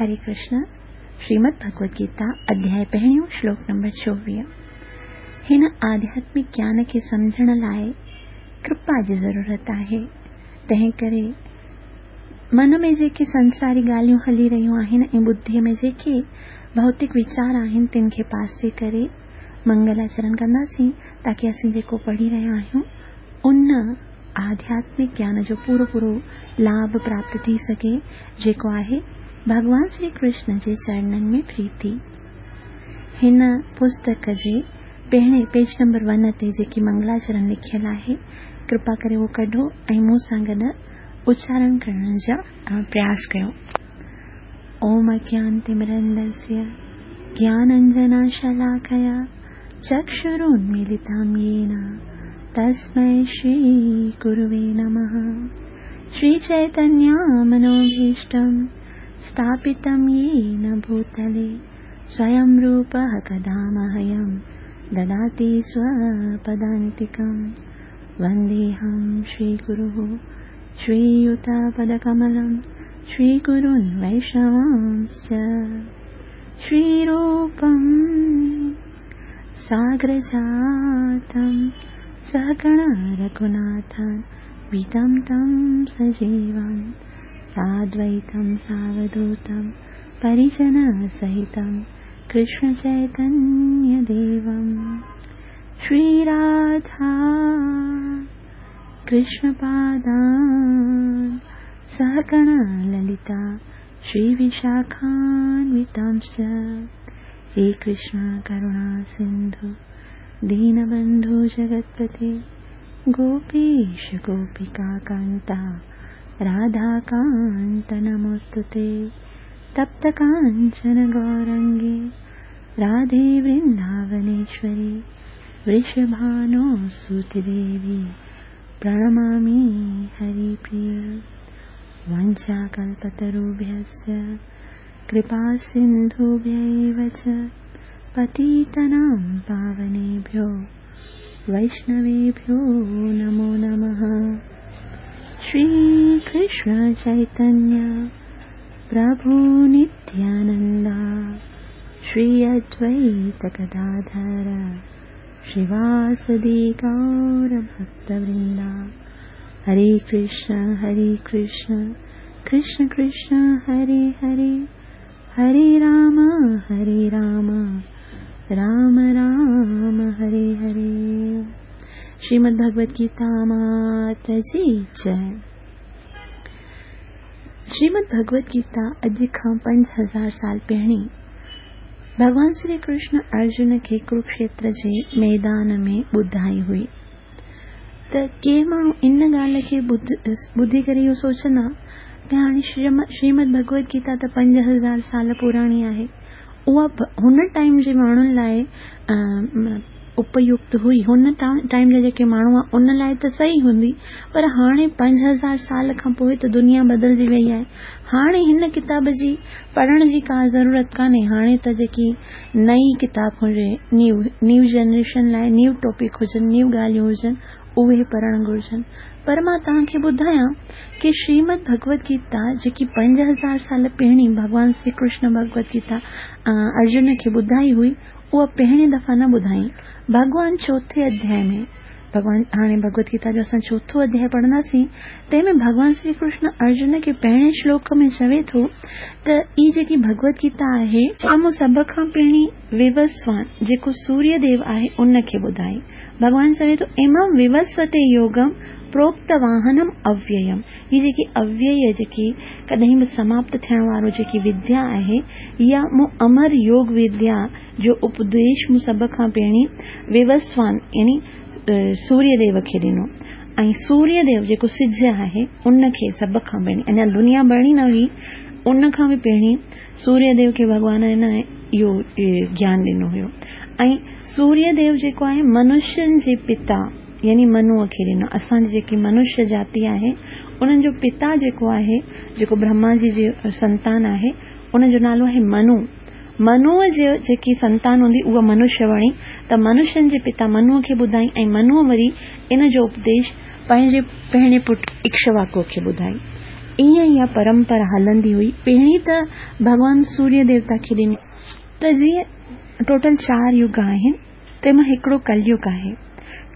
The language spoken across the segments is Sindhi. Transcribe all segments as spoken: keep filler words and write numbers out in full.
हरे कृष्ण। श्रीमद् भगवद गीता अध्याय पहिरियों श्लोक नंबर चोवीह। हिन आध्यात्मिक ज्ञान खे सम्झण लाइ कृपा जी ज़रूरत आहे। तंहिं करे मन में जेके संसारी ॻाल्हियूं हली रहियूं आहिनि ऐं बुद्धिअ में जेके भौतिक वीचार आहिनि तिन खे पासे करे मंगलाचरण कंदासीं ताकी असीं जेको पढ़ी रहिया आहियूं उन आध्यात्मिक ज्ञान जो पूरो पूरो लाभ प्राप्त थी सघे, जेको आहे भॻवान श्री कृष्ण जे चरणनि में प्रीति। हिन पुस्तक जे पहिरें पेज नंबर वन ते जेकी मंगलाचरण लिखियल आहे, कृपा करे उहो कढो ऐं मूं सां गॾु उच्चारण करण जा प्रयास कयो। ओम अज्ञानतिमिरन्धस्य ज्ञानाञ्जनशलाकया चक्षुरुन्मीलितं येन तस्मै श्रीगुरुवे नमः। श्रीचैतन्यमनोभीष्टं स्थापितं येन भूतले स्वयं रूपः कदा मह्यं ददाति स्वपदान्तिकं। वन्देऽहं श्रीगुरुः श्रीयुतपदकमलं श्रीगुरून् वैष्णवांश्च। श्रीरूपं सागरजातं सहगण रघुनाथं वितं तं सजीवं साद्वैतं सावधूतं परिजनसहितं कृष्णचैतन्यदेवं। श्रीराधा कृष्णपादान् सहगण ललिता श्रीविशाखान्वितांश्च। हे कृष्ण करुणा सिन्धु दीनबन्धु जगत्पते गोपीश गोपिकान्ता राधाकान्त नमोऽस्तु ते। तप्तकाञ्चन गौरङ्गे राधे वृन्दावनेश्वरी वृषभानुसुते देवी प्रणमामि हरिप्रिये। वाञ्छाकल्पतरुभ्यश्च कृपासिन्धुभ्यैव च पतितानां पावनेभ्यो वैष्णवेभ्यो नमो नमः। श्री कृष्ण चैतन्य प्रभु नित्यानंदा श्री अद्वैत गदाधर श्रीवासदि गौर भक्तवृंदा। हरे कृष्ण हरे कृष्ण कृष्ण कृष्ण हरे हरे, हरे राम हरे राम राम राम हरे हरे। श्रीमद् भगवद गीता मात जी जय। श्रीमद् भगवद गीता अॼु खां पंज हज़ार साल पहिरीं भॻवान श्री कृष्ण अर्जुन खे कुरुक्षेत्र जे मैदान में ॿुधाई हुई। त के माण्हू इन ॻाल्हि खे ॿुधी करे इहो सोचंदा त हाणे श्रीमद् भगवद गीता त पंज हज़ार साल पुराणी आहे, उहा हुन टाइम जे माण्हुनि लाइ उपयुक्त हुई, हुन टाइम जा जेके माण्हू हुआ उन लाइ त सही हूंदी, पर हाणे पंज हज़ार साल खां पोइ त दुनिया बदिलजी वई आहे। हाणे हिन किताब जी पढ़ण जी का ज़रूरत कान्हे। हाणे त जेकी नई किताब हुजे, न्यू न्यू जनरेशन लाइ न्यू टॉपिक हुजनि, न्यू ॻाल्हियूं हुजनि, उहे पढ़णु घुर्जनि। पर मां तव्हांखे ॿुधायां की श्रीमद् भगवद गीता जेकी पंज हज़ार साल पहिरीं भॻवान श्री कृष्ण भगवद गीता अर्जुन खे ॿुधाई हुई, उहा पहिरीं दफ़ा न ॿुधाई। भॻवान चौथे अध्याय में, भॻवान हाणे भगवद गीता जो असां चोथों अध्याय पढ़ंदासीं, तंहिंमें भॻवान श्री कृष्ण अर्जुन खे पहिरें श्लोक में चवे थो त ही जेकी भगवद गीता आहे उहा मूं सभ खां पहिरीं विवस्वान जेको सूर्य देव आहे उनखे ॿुधाई। भॻवान चवे थो इमं विवस्वते योगम प्रोक्त वाहनम अव्ययम। ही जेकी अव्यय जेकी कॾहिं बि समाप्त थियण वारो जेकी विद्या आहे, इहा मूं अमर योग विद्या जो उपदेश मूं सभ खां पहिरीं विवस्वान यानी सूर्यदेव खे ॾिनो। ऐं सूर्यदेव जेको सिज आहे उनखे सभ खां पहिरीं, अञा दुनिया बणी न हुई उन खां बि पहिरीं सूर्यदेव खे भॻवान हिन इहो ज्ञान ॾिनो हुयो। ऐं सूर्यदेव जेको आहे मनुष्यनि जे पिता यानी मनुअ खे ॾिनो। असांजी जेकी मनुष्य जाति आहे उन्हनि जो पिता जेको आहे, जेको ब्रह्मा जी जे संतान आहे, उनजो नालो आहे मनु। मनुअ जे जेकी संतान हूंदी उहा मनुष्य बणी, त मनुष्यनि जे पिता मनुअ खे ॿुधाई ऐं मनुअ वरी इन जो उपदेश पंहिंजे पहिरें पुट इक्ष्वाकु खे ॿुधाई। ائين اها پرمپرا هلندي هئي. پهرين ته ڀڳوان سوريه ديوتا کي ڏني. ته جيئن ٽوٽل چار يگ آهن، تنهن مان هڪڙو ڪليگ آهي.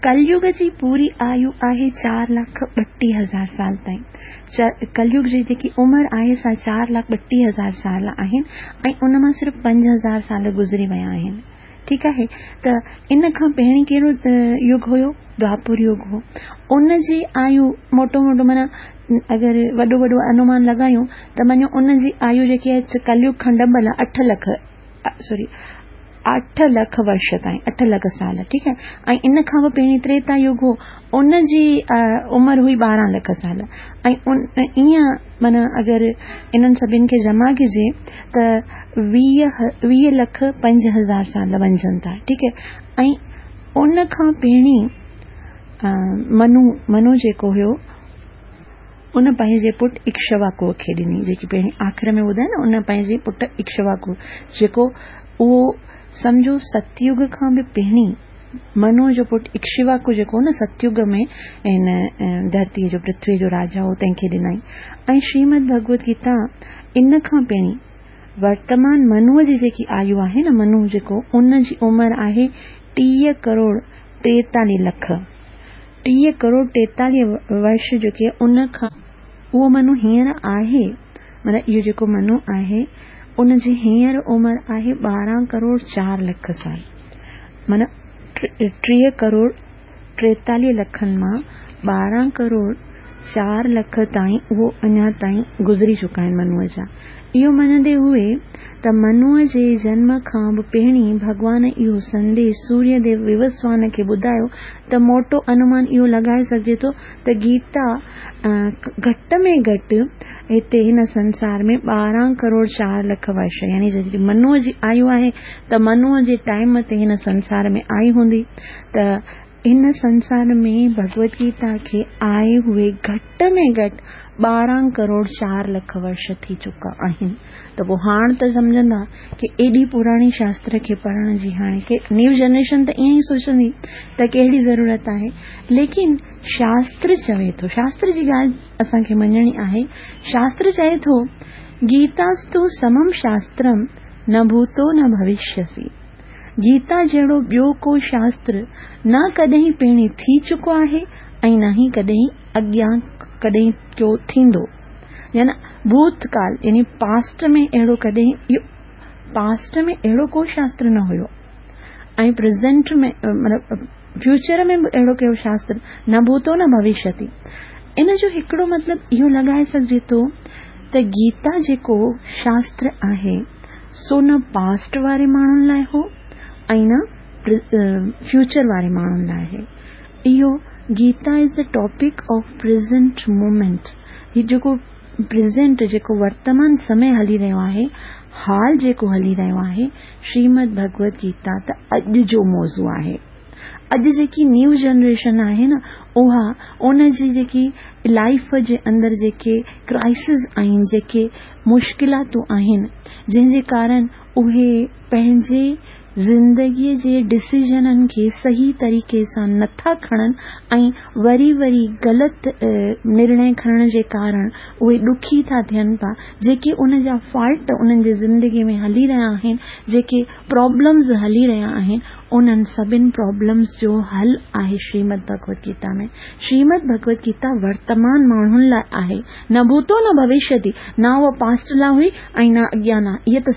ڪليگ جي پوري آيو آهي چار لک ٻٽيهه هزار سال تائين. ڪليگ جي جيڪي عمر آهي سا چار لک ٻٽيهه هزار سال آهن ۽ ان مان صرف پنج هزار سال گذري ويا آهن. ٺيڪ آهي، ته ان کان پهرين ڪهڙو يگ هيو؟ دوآپر يگ هو. ان جي آيو موٽو موٽو معنيٰ اگر وڏو وڏو انومان لڳايون ته مڃو ان جي آيو جيڪي آهي ڪليگ کان ڊبل آهي، اٺ لک سوري اٺ لک ورش تائين، اٺ لک سال. ٺيڪ آهي، ۽ ان کان به پهرين تريتا يگ هو، ان جي عمر هئي ٻارهن لک سال. ۽ ائين معنيٰ اگر انهن سڀني کي جمع ڪجي ته ويهه ويهه لک پنج هزار سال وڃجن ٿا. ٺيڪ آهي، ۽ ان کان پهرين منو منو جيڪو هيو ان پنهنجي پٽ اڪشواڪوءَ کي ڏني، جيڪي پهرين آخر ۾ ٻڌائي نه، ان پنهنجي پٽ اڪشواڪو جيڪو اهو سمجهو ستيگ کان به پهرين منو جو پٽ اڪشواڪو جيڪو نه ستيگ ۾ هن ڌرتيءَ جو پرٿويءَ جو راجا هو، تنهن کي ڏنائين. ۽ شريمد ڀڳوت گيتا ان کان پهرين ورتمان منوءَ جي جيڪي آيو آهي نه، منو جيڪو ان جي عمر آهي ٽيهه ڪروڙ ٽيتاليهه لک، ٽيهه ڪروڙ ٽيتاليهه ورش جيڪي ان کان اهو منو هينئر آهي، معنيٰ اهو جيڪو منو آهي ان جي هينئر عمر آهي ٻارهن ڪروڙ چار لک سال، معنيٰ ٽيهه ڪروڙ ٽيتاليهه لکن مان ٻارهن ڪروڙ چار لک تائين اهو اڃا تائين گذري چڪا آهن منوءَ جا. اهو مڃندي هئي ته منوءَ جي جنم کان به پهرين ڀڳوان اهو سنديش سوريه ديو ووسوان کي ٻڌايو ته موٽو انومان اهو لڳائي سگهجي ٿو ته گيتا گهٽ ۾ گهٽ هتي هن سنسار ۾ ٻارهن ڪروڙ چار لک ورش، يعني جڏهن منوءَ جي آيو آهي ته منوءَ جي ٽائيم تي هن سنسار ۾ آئي هوندي، ته هن سنسار ۾ ڀڳوت گيتا کي آئي هئي گهٽ ۾ گهٽ ٻارهن ڪروڙ چار لک ورش ٿي چڪا آهن. ته پوءِ هاڻي ته سمجهندا ڪه ايڏي پراڻي شاستر کي پڙهڻ جي هاڻي ڪه نيو جنريشن ته ائين ئي سوچندي ته ڪهڙي ضرورت آهي، ليڪن شاستر چوي ٿو، شاستر جي ڳالهه اسان کي مڃڻي آهي. شاستر چئي ٿو گيتاستو سمم شاسترم نه ڀوتو نه ڀوشيسي. گيتا جهڙو ٻيو ڪو شاستر نه ڪڏهن پهرين ٿي چڪو آهي ۽ نه ئي ڪڏهن اڳيان ڪڏهن ڪيو ٿيندو، يعني ڀوتڪال يعني پاسٽ ۾ اهڙو ڪڏهن اهو پاسٽ ۾ اهڙو ڪو شاستر نه هيو ۽ پريزنٽ ۾ مطلب فيوچر ۾ به اهڙو ڪهڙو شاستر نه ڀوتو نه ڀوشيتي. ان جو هڪڙو مطلب اهو لڳائي سگهجي ٿو ته گيتا جيڪو شاستر آهي سو نه پاسٽ واري ماڻهن لاءِ هو ۽ نه فيوچر واري ماڻهن لاءِ آهي. اهو Gita is the topic of present moment. هي جيڪو پريزنٽ جيڪو ورتمان سمي هلي رهيو آهي، حال جيڪو هلي رهيو آهي، شريمد ڀڳوت گيتا ته اڄ جو موضوع آهي. اڄ جيڪي نيو جنريشن آهي نه، اها ان جي جيڪي لائيف جي اندر جيڪي ڪرائسس آهن، جيڪي مشڪلاتون آهن، جنهن جي ڪارڻ اهي پنهنجي زندگيءَ جي ڊسيزنن کي صحيح طريقي سان نٿا کڻن ۽ وري وري غلط نرڻي کڻڻ جي ڪارڻ اهي ڏکي ٿا ٿين پيا، جيڪي ان جا فالٽ انهن جي زندگيءَ ۾ هلي رهيا آهن، جيڪي پرابلمز هلي رهيا آهن، انهن سڀني پرابلمز جو حل آهي شريمد ڀڳوت گيتا ۾. شريمد ڀڳوت گيتا ورتمان ماڻهن لاءِ آهي، نه ڀوتو نه ڀوشيتي، نه اها پاسٽ لاءِ هئي ۽ نه اڳيان نه. اها ته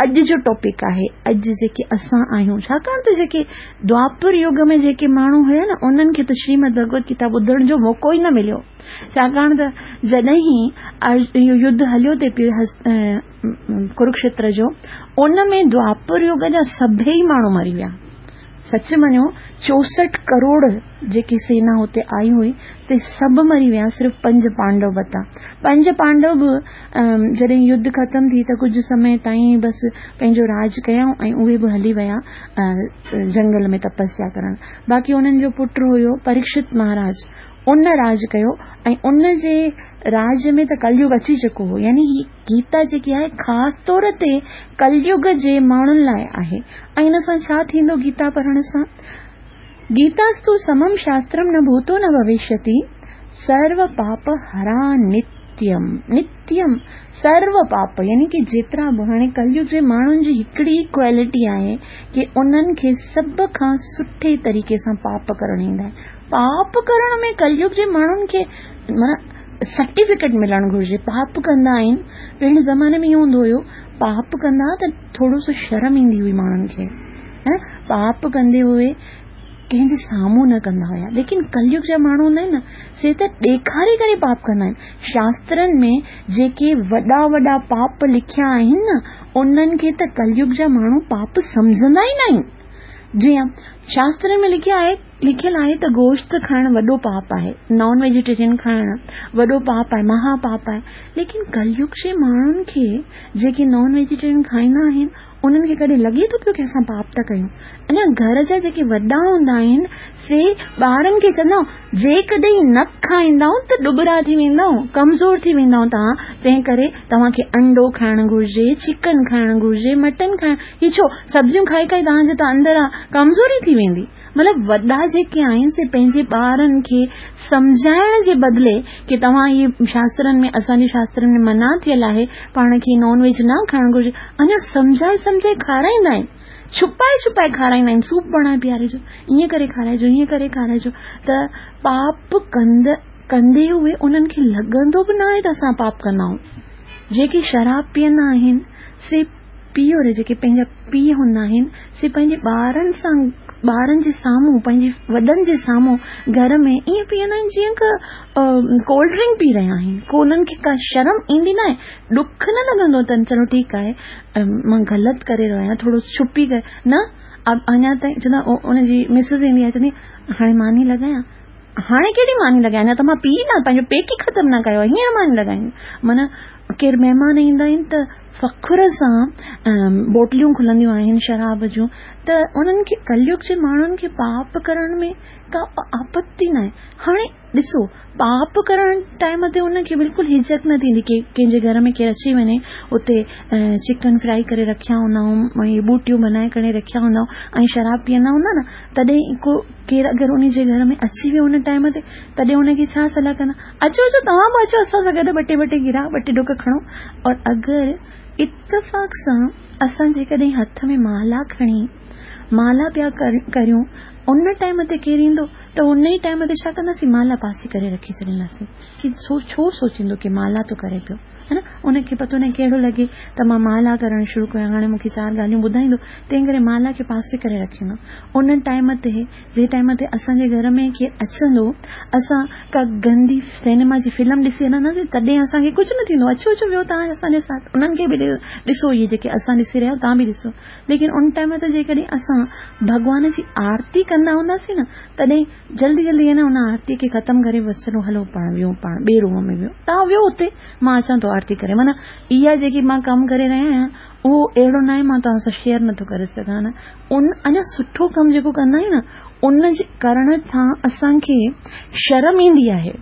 اڄ جو ٽاپڪ آهي، اڄ جيڪي اسان آهيون. ڇاڪاڻ ته جيڪي دوآپر يگ ۾ جيڪي ماڻهو هئا نه، انهن کي ته شريمد ڀڳوت گيتا ٻڌڻ جو موقعو ئي نه مليو. ڇاڪاڻ ته جڏهن اهو يڌ هليو ٿي پيو ڪروڪشيتر جو، ان ۾ دوآپر يگ جا سڀئي ماڻهو مري ويا. سچ مڃو چوسٺ ڪروڙ جيڪي سينا هتي آئي هئي سي سڀ مري ويا، صرف پنج پانڊو بتا. پنج پانڊو به جڏهن يڌ ختم ٿي ته ڪجهه سمي تائين بس پنهنجو راڄ ڪيائون ۽ اهي به هلي ويا جنگل ۾ تپسيا ڪرڻ. باقي انهن جو پٽ هيو پريڪشت مهاراج، ان راڄ ڪيو ۽ ان جي راڄ ۾ ته ڪليگ اچي چڪو هو. يعني هي گيتا جيڪي آهي خاص طور تي ڪليگ جي ماڻهن لاءِ آهي. ۽ هن سان ڇا ٿيندو گيتا پڙهڻ سان؟ گيتاستو سمم شاسترم نه ڀوتو نه ڀوشيتي सर्व पाप हरा नित्यम। नित्यम सर्व पाप यानी की जेतिरा बि हाणे कलयुग जे माण्हुनि जी हिकिड़ी क्वालिटी आहे की उन्हनि खे सभ खां सुठे तरीक़े सां पाप करणु ईंदा आहिनि। पाप करण में कलयुग जे माण्हुनि खे माना सर्टिफिकेट मिलणु घुरिजे। पाप कंदा आहिनि, पहिरें ज़माने में इहो हूंदो हुयो पाप कंदा त थोरो सो शर्म ईंदी हुई माण्हुनि खे, ऐं पाप कंदे हुए कंहिंजे साम्हूं न कंदा हुया। लेकिन कलयुग जा माण्हू हूंदा आहिनि न, से त ॾेखारे करे पाप कंदा आहिनि। शास्त्रनि में जेके वॾा वॾा पाप लिखिया आहिनि न, उन्हनि खे त कलयुग जा माण्हू पाप सम्झंदा ई न आहिनि। जीअं शास्त्रनि में लिखिया आहे, लिखियलु आहे त गोश्त खाइणु वॾो पाप आहे, नॉन वेजिटेरियन खाइणु वॾो पाप आहे, महापाप आहे। लेकिन कलयुग जे माण्हुनि खे जेके नॉन वेजिटेरियन खाईंदा आहिनि, उन्हनि खे कॾहिं लॻे थो पियो की असां पाप था कयूं। अञा घर जा जेके वॾा हूंदा आहिनि से ॿारनि खे चवंदा जेकॾहिं न खाईंदव त ॾुबरा थी वेंदव, कमज़ोर थी वेंदव तव्हां, तंहिं करे तव्हांखे अंडो खाइणु घुरिजे, चिकन खाइणु घुरिजे, मटन खाइणु, हीअ छो सब्ज़ियूं खाई खाई तव्हांजे त अंदरि आहे कमज़ोरी थी वेंदी। मतिलबु वॾा जेके आहिनि से पंहिंजे ॿारनि खे सम्झाइण जे बदिले की तव्हां इहे शास्त्रनि में, असांजे शास्त्रनि में मना थियल आहे पाण खे नॉन वेज न खाइणु घुरिजे, अञा सम्झाए सम्झाए खाराईंदा आहिनि, छुपाए छुपाए खाराईंदा आहिनि, सूप बणाए पीआरिजो, ईअं करे खाराइजो, ईअं करे खाराइजो। त पाप कंद कंदे हुए उन्हनि खे लॻंदो बि न आहे त असां पाप कंदा आहियूं। जेके शराब पीअंदा आहिनि से पीउ रे जेके पंहिंजा पीउ हूंदा आहिनि से पंहिंजे ॿारनि सां, ॿारनि जे साम्हूं, पंहिंजे वॾनि जे साम्हूं घर में ईअं पीअंदा आहिनि जीअं कोल्ड ड्रिंक पी रहिया आहिनि। को उन्हनि खे का शर्म ईंदी न आहे, ॾुख न लॻंदो अथनि, चलो ठीकु आहे मां ग़लति करे रहियो आहियां, थोरो छुपी करे न। अञा ताईं चवंदा उनजी मिसिस ईंदी आहे, चवंदी हाणे मानी लॻायां, हाणे कहिड़ी मानी लॻायां, अञा त मां पी न, पंहिंजो पेट ई ख़तमु न कयो, हींअर मानी लॻाईंदी। माना केरु महिमान ईंदा आहिनि त फ़ख्र सां बोटलियूं खुलंदियूं आहिनि शराब जूं, त उन्हनि खे कलयुग जे माण्हुनि खे पाप करण में का आपत्ति न आहे। हाणे ॾिसो पाप करण टाइम ते उनखे बिल्कुलु हिचक न थींदी की कंहिंजे घर में केरु अची वञे, उते चिकन फ्राई करे रखिया हूंदा ऐं ॿूटियूं बनाए करे रखिया हूंदा ऐं शराब पीअंदा हूंदा न, तॾहिं को केरु अगरि उन जे घर में अची वियो उन टाइम ते, तॾहिं उनखे छा सलाह कंदा, अचो अचो तव्हां बि अचो असां सां गॾु ॿ टे ॿ टे गिरा ॿ टे ढुक खणो। और अगरि इतफ़ाक़ सां असां जेकॾहिं हथ में माला खणी माला पिया करियूं, उन टाइम ते केरु ईंदो त उन ई टाइम ते छा कंदासीं, माला पासे करे रखी छॾींदासीं की सो छो सोचींदो की माला थो करे पियो, है न, उनखे पतो न कहिड़ो लॻे त मां माला करणु शुरू कयां, हाणे मूंखे चारि ॻाल्हियूं ॿुधाईंदो, तंहिं करे माला खे पासे करे रखींदो। उन टाइम ते जंहिं टाइम ते असांजे घर में केरु अचंदो, असां का गंदी सिनेमा जी फिल्म ॾिसी हलंदासीं, तॾहिं असांखे कुझु न थींदो, अचो अचो वियो तव्हां असांजे साथ, उन्हनि खे बि ॾिसो, इहे जेके असां ॾिसी रहिया तव्हां बि ॾिसो। लेकिन उन टाइम ते जेकॾहिं असां भॻवान जी आरती कंदा हूंदासीं न, तॾहिं जल्दी जल्दी है न उन आरती खे ख़तमु करे बसि चलो हलो पाण वियूं, पाण ॿिए रूम में वियो, तव्हां वियो उते, मां अचां थो आरती करे। माना इहा जेकी मां कमु करे रहिया आहियां उहो अहिड़ो न आहे मां तव्हां सां शेयर नथो करे सघां न। उन अञा सुठो कमु जेको कंदा आहियूं न, उन जे करण सां असांखे शर्म ईंदी आहे।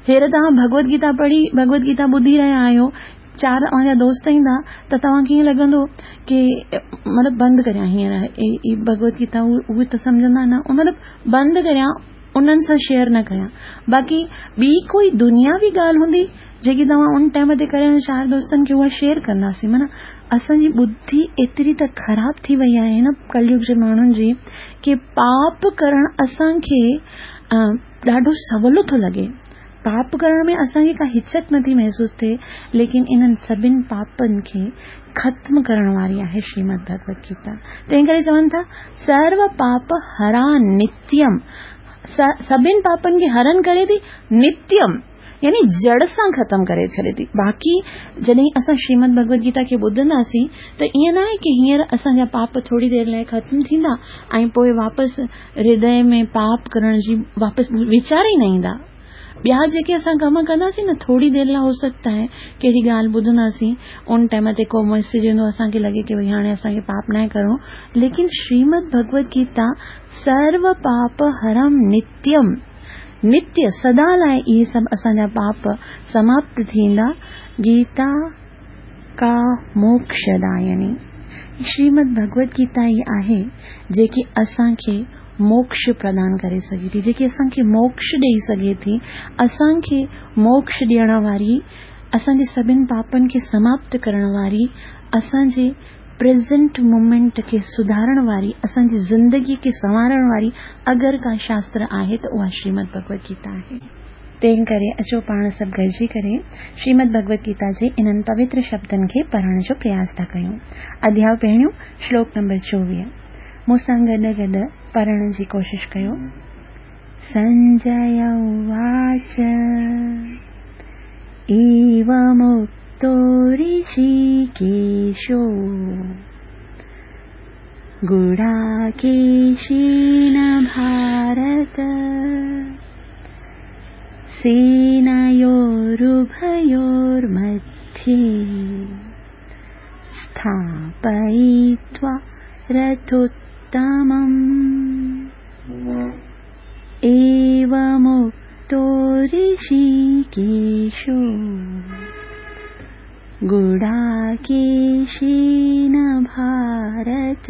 हेर तव्हां भगवत गीता पढ़ी, भगवत गीता ॿुधी रहिया आहियो, चारि अव्हांजा दोस्त ईंदा त तव्हांखे ईअं लॻंदो की मतिलबु बंदि करियां हींअर ई भगवत गीता, उहे त सम्झंदा न, मतिलबु बंदि करियां, उन्हनि सां शेयर न कयां। बाक़ी ॿी कोई दुनियावी ॻाल्हि हूंदी जेकी तव्हां उन टाइम ते करे चारि दोस्तनि खे उहा शेयर कंदासीं। माना असांजी बुद्धि एतिरी त ख़राबु थी वई आहे न कलयुग जे माण्हुनि जी की पाप करणु असांखे ॾाढो सवलो थो लॻे, पाप करण में असांखे का हिचक नथी महसूसु थिए, लेकिन इन्हनि सभिनि पापनि खे ख़त्म करण वारी आहे श्रीमद् भगवत गीता। तंहिं करे चवनि था सर्व पाप हरा नित्यम, सभिनि पापनि खे हरण करे थी, नित्यम यानी जड़ सां ख़तमु करे छॾे थी। बाक़ी जॾहिं असां श्रीमद् भगवत गीता खे ॿुधंदासीं त ईअं न आहे की हींअर असांजा पाप थोरी देरि लाइ ख़तमु थींदा ऐं पोइ वापसि हृदय में पाप करण जी वापसि वीचार ई न ईंदा। ॿिया जेके असां कम कंदासीं न, थोरी देरि लाइ हो सकता है कहिड़ी ॻाल्हि ॿुधंदासीं, उन टाइम ते को मैसेज ईंदो असांखे लॻे की भई हाणे असांखे पाप न करिणो, लेकिन श्रीमद् भगवत गीता सर्व पाप हरम नित्यम, नित्य सदा लाइ इहे सभु असांजा पाप समाप्त थींदा। गीता का मोक्षदायिनी श्रीमद् भगवत गीता ई आहे जेकी असांखे मोक्ष प्रदान करे सघे थी, जेकी असांखे मोक्ष ॾेई सघे थी, असांखे मोक्ष ॾियण वारी, असांजे सभिनी पापनि खे समाप्त करण वारी, असांजे प्रेजेंट मोमेंट खे सुधारण वारी, असांजी ज़िंदगी खे संवारण वारी अगरि का शास्त्र आहे त उहा श्रीमद भगवत गीता आहे। तंहिं करे अचो पाण सभु गॾिजी करे श्रीमद भगवत गीता जे इन्हनि पवित्र शब्दनि खे पढ़ण जो प्रयास था कयूं। अध्याय पहिरियों, श्लोक नंबर चोवीह। मूं सां गॾु गॾु पढ़ण जी कोशिश कयो। संजय उवाच एवमुक्तो ऋषिकेशो गुडाकेशेन भारत सेनयोरुभयोर्मध्ये स्थापयित्वा रथोत्तमम्। एवमुक्तो ऋषिकेशो गुडाकेशेन भारत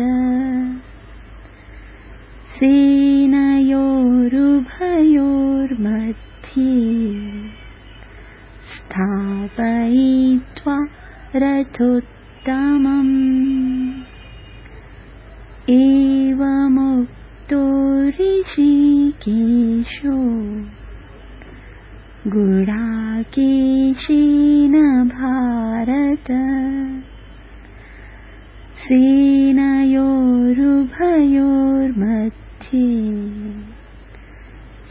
सेनयोरुभयोर्मध्ये स्थापयित्वा रथोत्तमम्। एवमुक्तो ऋषिकेशो गुडाकेशेन भारत सेनयोरुभयोर्मध्ये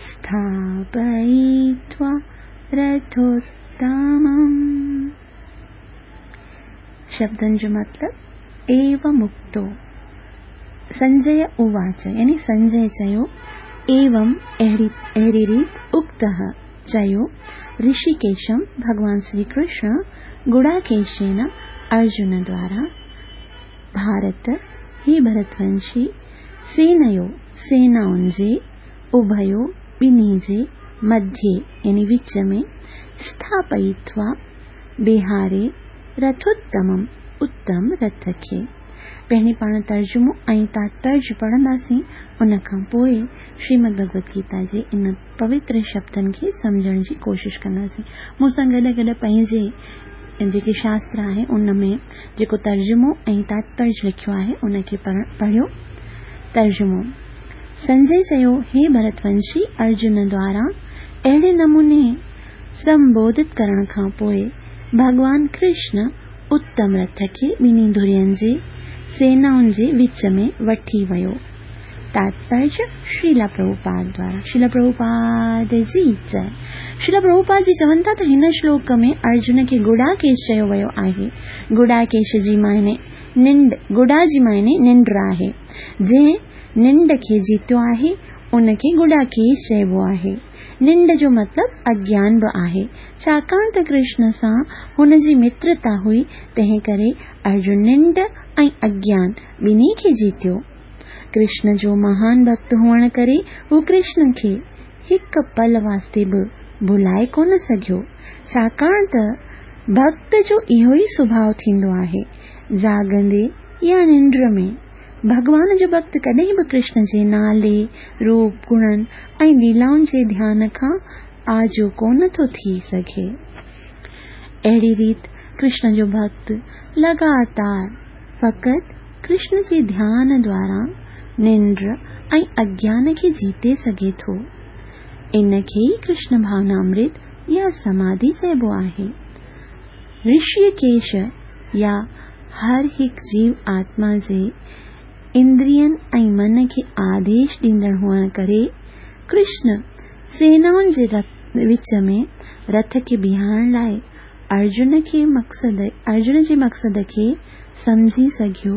स्थापयित्वा रथोत्तमम्। शब्दनि जो मतिलबु एवमुक्तो संजय उवाच, यानी संजय चयो, एवं अहिड़ी अहिड़ी रीति उक्तः चयो ऋषिकेशम भगवान श्री कृष्ण गुडाकेशेन अर्जुन द्वारा भारत हे भरतवंशी सेनयो सेनाउनि जे उभयो ॿिन्ही जे मध्ये यानी विच में स्थापयित्वा बिहारे रथोत्तमम् उत्तम रथ खे। पहिरीं पाण तर्जुमो ऐं तात्पर्य पढ़ंदासीं, उन खां पोइ श्रीमद भगवत गीता जे इन पवित्र शब्दनि खे सम्झण जी कोशिशि कंदासीं। मूं सां गॾु गॾु पंहिंजे जेके शास्त्र आहे उन में जेको तर्जुमो ऐं तात्पर्य लिखियो आहे उनखे पढ़ियो। तर्जुमो: संजय चयो, हे भरतवंशी, अर्जुन द्वारा अहिड़े नमूने संबोधित करण खां पोइ भॻवान कृष्ण उत्तम रथ खे ॿिन्ही धुरियुनि जे सेनाउनि जे विच में वठी वियो। तात्पर्य श्रीला प्रभुपाद द्वारा। श्रीला प्रभुपाद जी जय। श्रीला प्रभुपाद जी चवनि था त हिन श्लोक में अर्जुन खे गुडाकेश चयो वियो आहे। गुडाकेश जी मायने निंड, गुडा जी मायने निंड आहे। जंहिं निंड खे जीतियो आहे उनखे गुडाकेश चइबो आहे। निंड जो मतिलबु अज्ञान बि आहे। छाकाणि त कृष्ण सां हुन जी मित्रता हुई, तंहिं करे अर्जुन निंड ऐं अज्ञान ॿिन्ही खे जीतियो। कृष्ण जो महान भक्त हुअण करे हू कृष्ण खे हिकु पल वास्ते बि भुलाए कोन सघियो। छाकाणि त भक्त जो इहो ई सुभाव थींदो आहे, जागंदे या निंड में भॻवान जो भक्त कॾहिं बि कृष्ण जे नाले, रूप, गुणनि ऐं लीलाउनि जे ध्यान खां आजो कोन थो थी सघे। अहिड़ी रीति कृष्ण जो भक्त लगातार फ़क़ति कृष्ण जे ध्यान द्वारा निंड ऐं अज्ञान खे जीते सघे थो। इन खे ई कृष्ण भावनामृत या समाधि चइबो आहे। ऋषिकेश या हर हिकु जीव आत्मा जे इंद्रियनि ऐं मन खे आदेश ॾींदड़ हुअण करे कृष्ण सेनाउनि जे विच में रथ खे बीहारण लाइ अर्जुन खे मक़सद अर्जुन जे मक़सद खे सम्झी सघियो।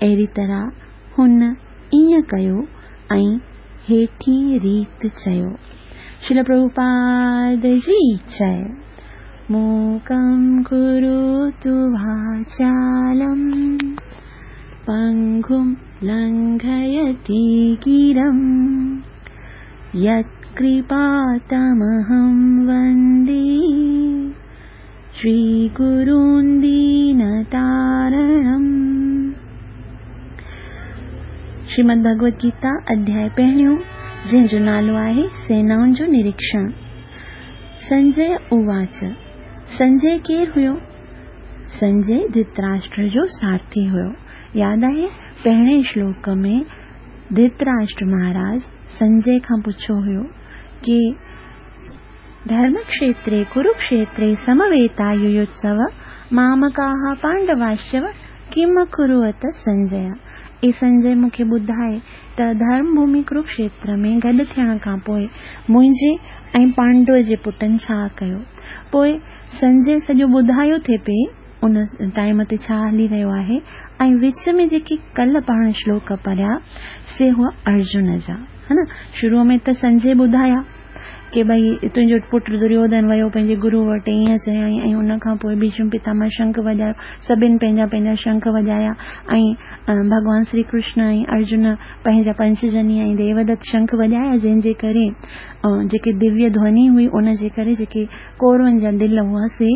अहिड़ी तरह हुन ईअं कयो ऐं हेठी रीति चयो। श्रील प्रभुपाद जी जय। मूकं करोतु वाचालं पङ्गुं लङ्घयति गिरं यत्कृपातमहं वन्दे श्रीगुरुं दीनतारणम्। श्रीमद् भगवत गीता अध्याय पहिरियों जंहिंजो नालो आहे सेनाउनि जो निरीक्षण। संजय उवाच। संजय केरु हुयो? संजय धृतराष्ट्र जो सारथी हुयो। यादि आहे पहिरें श्लोक में धृतराष्ट्र महाराज संजय खां पुछियो हुयो की धर्मक्षेत्रे कुरुक्षेत्रे समवेता युयुत्सव मामकाः पांडवाश्चव किम कुरुवत संजय। ए संजय मूंखे ॿुधाए त धर्मभूमि कुरुक्षेत्र में गॾु थियण खां पोइ मुंहिंजे ऐं पांडव जे पुटनि छा कयो। पोइ संजय सॼो ॿुधायो थिए पई उन टाइम ते छा हली रहियो आहे ऐं विच में जेके कल्ह पाण श्लोक पढ़िया से हुआ अर्जुन जा, है न। शुरू में त संजय ॿुधाया की भई तुंहिंजो पुटु दुर्योधन वियो पंहिंजे गुरू वटि, ईअं चयईं ऐं उन खां पोइ भीष्म पितामह शंख वॼायो, सभिनी पंहिंजा पंहिंजा शंख वॼाया ऐं भॻवान श्री कृष्ण ऐं अर्जुन पंहिंजा पंचजनी ऐं देवदत्त शंख वॼाया, जंहिंजे करे जेके दिव्य ध्वनि हुई उन जे करे जेके कौरवनि जा दिलि हुआ से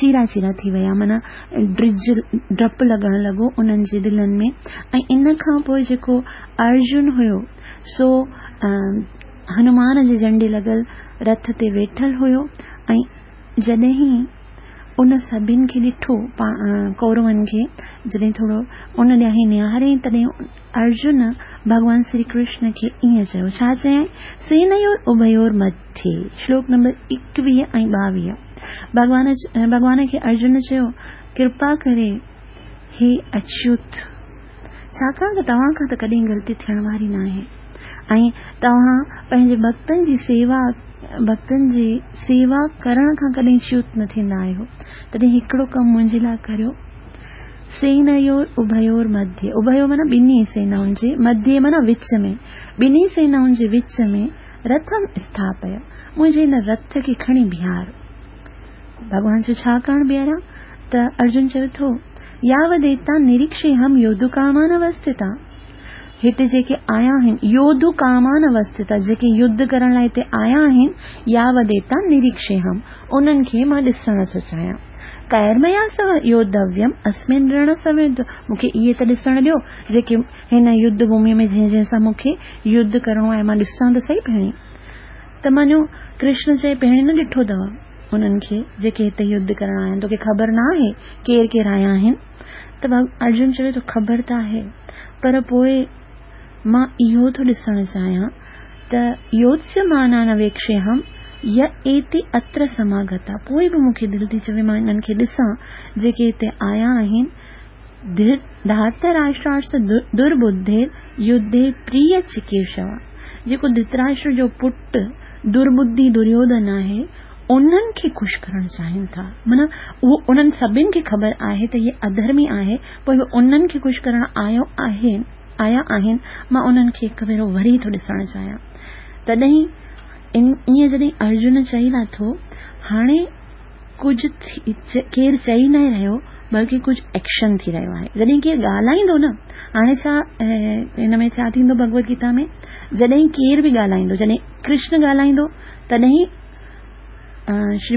चीरा चीरा थी विया, माना ड्रिज ड्रप लॻण लॻो उन्हनि जे दिलनि में। ऐं इन खां पोइ जेको अर्जुन हुयो सो हनुमान जे झंडे लॻल रथ ते वेठल हुयो ऐं जॾहिं उन सभिनि खे ॾिठो कौरवनि खे, जॾहिं थोरो उन ॾांहुं निहारे तॾहिं अर्जुन भॻवान श्री कृष्ण खे ईअं चयो। छा चयईं? सेनयोर उभयोर मध्ये। श्लोक नंबर एकवीह ऐं ॿावीह। भॻवान भॻवान खे अर्जुन चयो कृपा करे हे अच्युत, छाकाणि त तव्हां खां त कॾहिं ग़लती थियण वारी न आहे ऐं तव्हां पंहिंजे भक्तनि जी सेवा भक्तनि जी सेवा करण खां कॾहिं च्युत न थींदा आहियो, तॾहिं हिकिड़ो कमु मुंहिंजे लाइ करियो। सेनयोर उभयोर मध्ये, उभयो माना ॿिन्ही सेनाउनि जे, मध्ये माना विच में, ॿिन्ही सेनाउनि जे विच में रथम स्थापय, मुंहिंजे हिन रथ खे खणी बीहार। भॻवान चयो छा करणु बीहारियां? त अर्जुन चवे थो यावदेता निरीक्षे हम योद्धुकामान अवस्थिता। हिते जेके आया आहिनि योद्धु कामान अवस्थिता, जेके युद्ध करण लाइ हिते आया आहिनि, यावदेता निरीक्षे हम, उन्हनि खे मां ॾिसण थो चाहियां। कैर्मया सह योद्धव्यम अस्मिन् रण समेत, मूंखे इहे त ॾिसण ॾियो जेके हिन युद्ध भूमि में जंहिं जंहिं सां मूंखे युद्ध करिणो आहे, मां ॾिसां त सही पहिरीं। त मानो कृष्ण चए पहिरीं न ॾिठो अथव उन्हनि खे जेके हिते युद्ध करण आया आहिनि, तोखे ख़बर न आहे केरु केरु आया आहिनि? त अर्जुन चवे थो ख़बर त आहे, पर पोइ मां इहो थो ॾिसण चाहियां त योत्स्यमाना न वेक्षेऽहं य एते अत्र समागता, पोइ बि मूंखे दिलि थी चवे मां इन्हनि खे ॾिसां जेके हिते आया आहिनि। धार्तराष्ट्रार्थ दुर्बुद्धिर युद्धे प्रिय चिकीर्षवा, जेको धृतराष्ट्र जो पुटु दुर्बुद्धि दुर्योधन आहे उन्हनि खे ख़ुशि करणु चाहिनि था, माना उहो उन्हनि सभिनि खे ख़बर आहे त इहे अधर्मी आहे, पोइ बि उन्हनि खे ख़ुशि करणु आयो आहे आया आहिनि, मां उन्हनि खे हिकु भेरो वरी थो ॾिसणु चाहियां। तॾहिं ईअं जॾहिं अर्जुन चई लाथो, हाणे कुझु केरु चई न रहियो बल्कि कुझु एक्शन थी रहियो आहे। जॾहिं केरु ॻाल्हाईंदो न, हाणे छा हिन में छा थींदो भगवत गीता में, जॾहिं केरु बि ॻाल्हाईंदो, जॾहिं कृष्ण ॻाल्हाईंदो तॾहिं श्री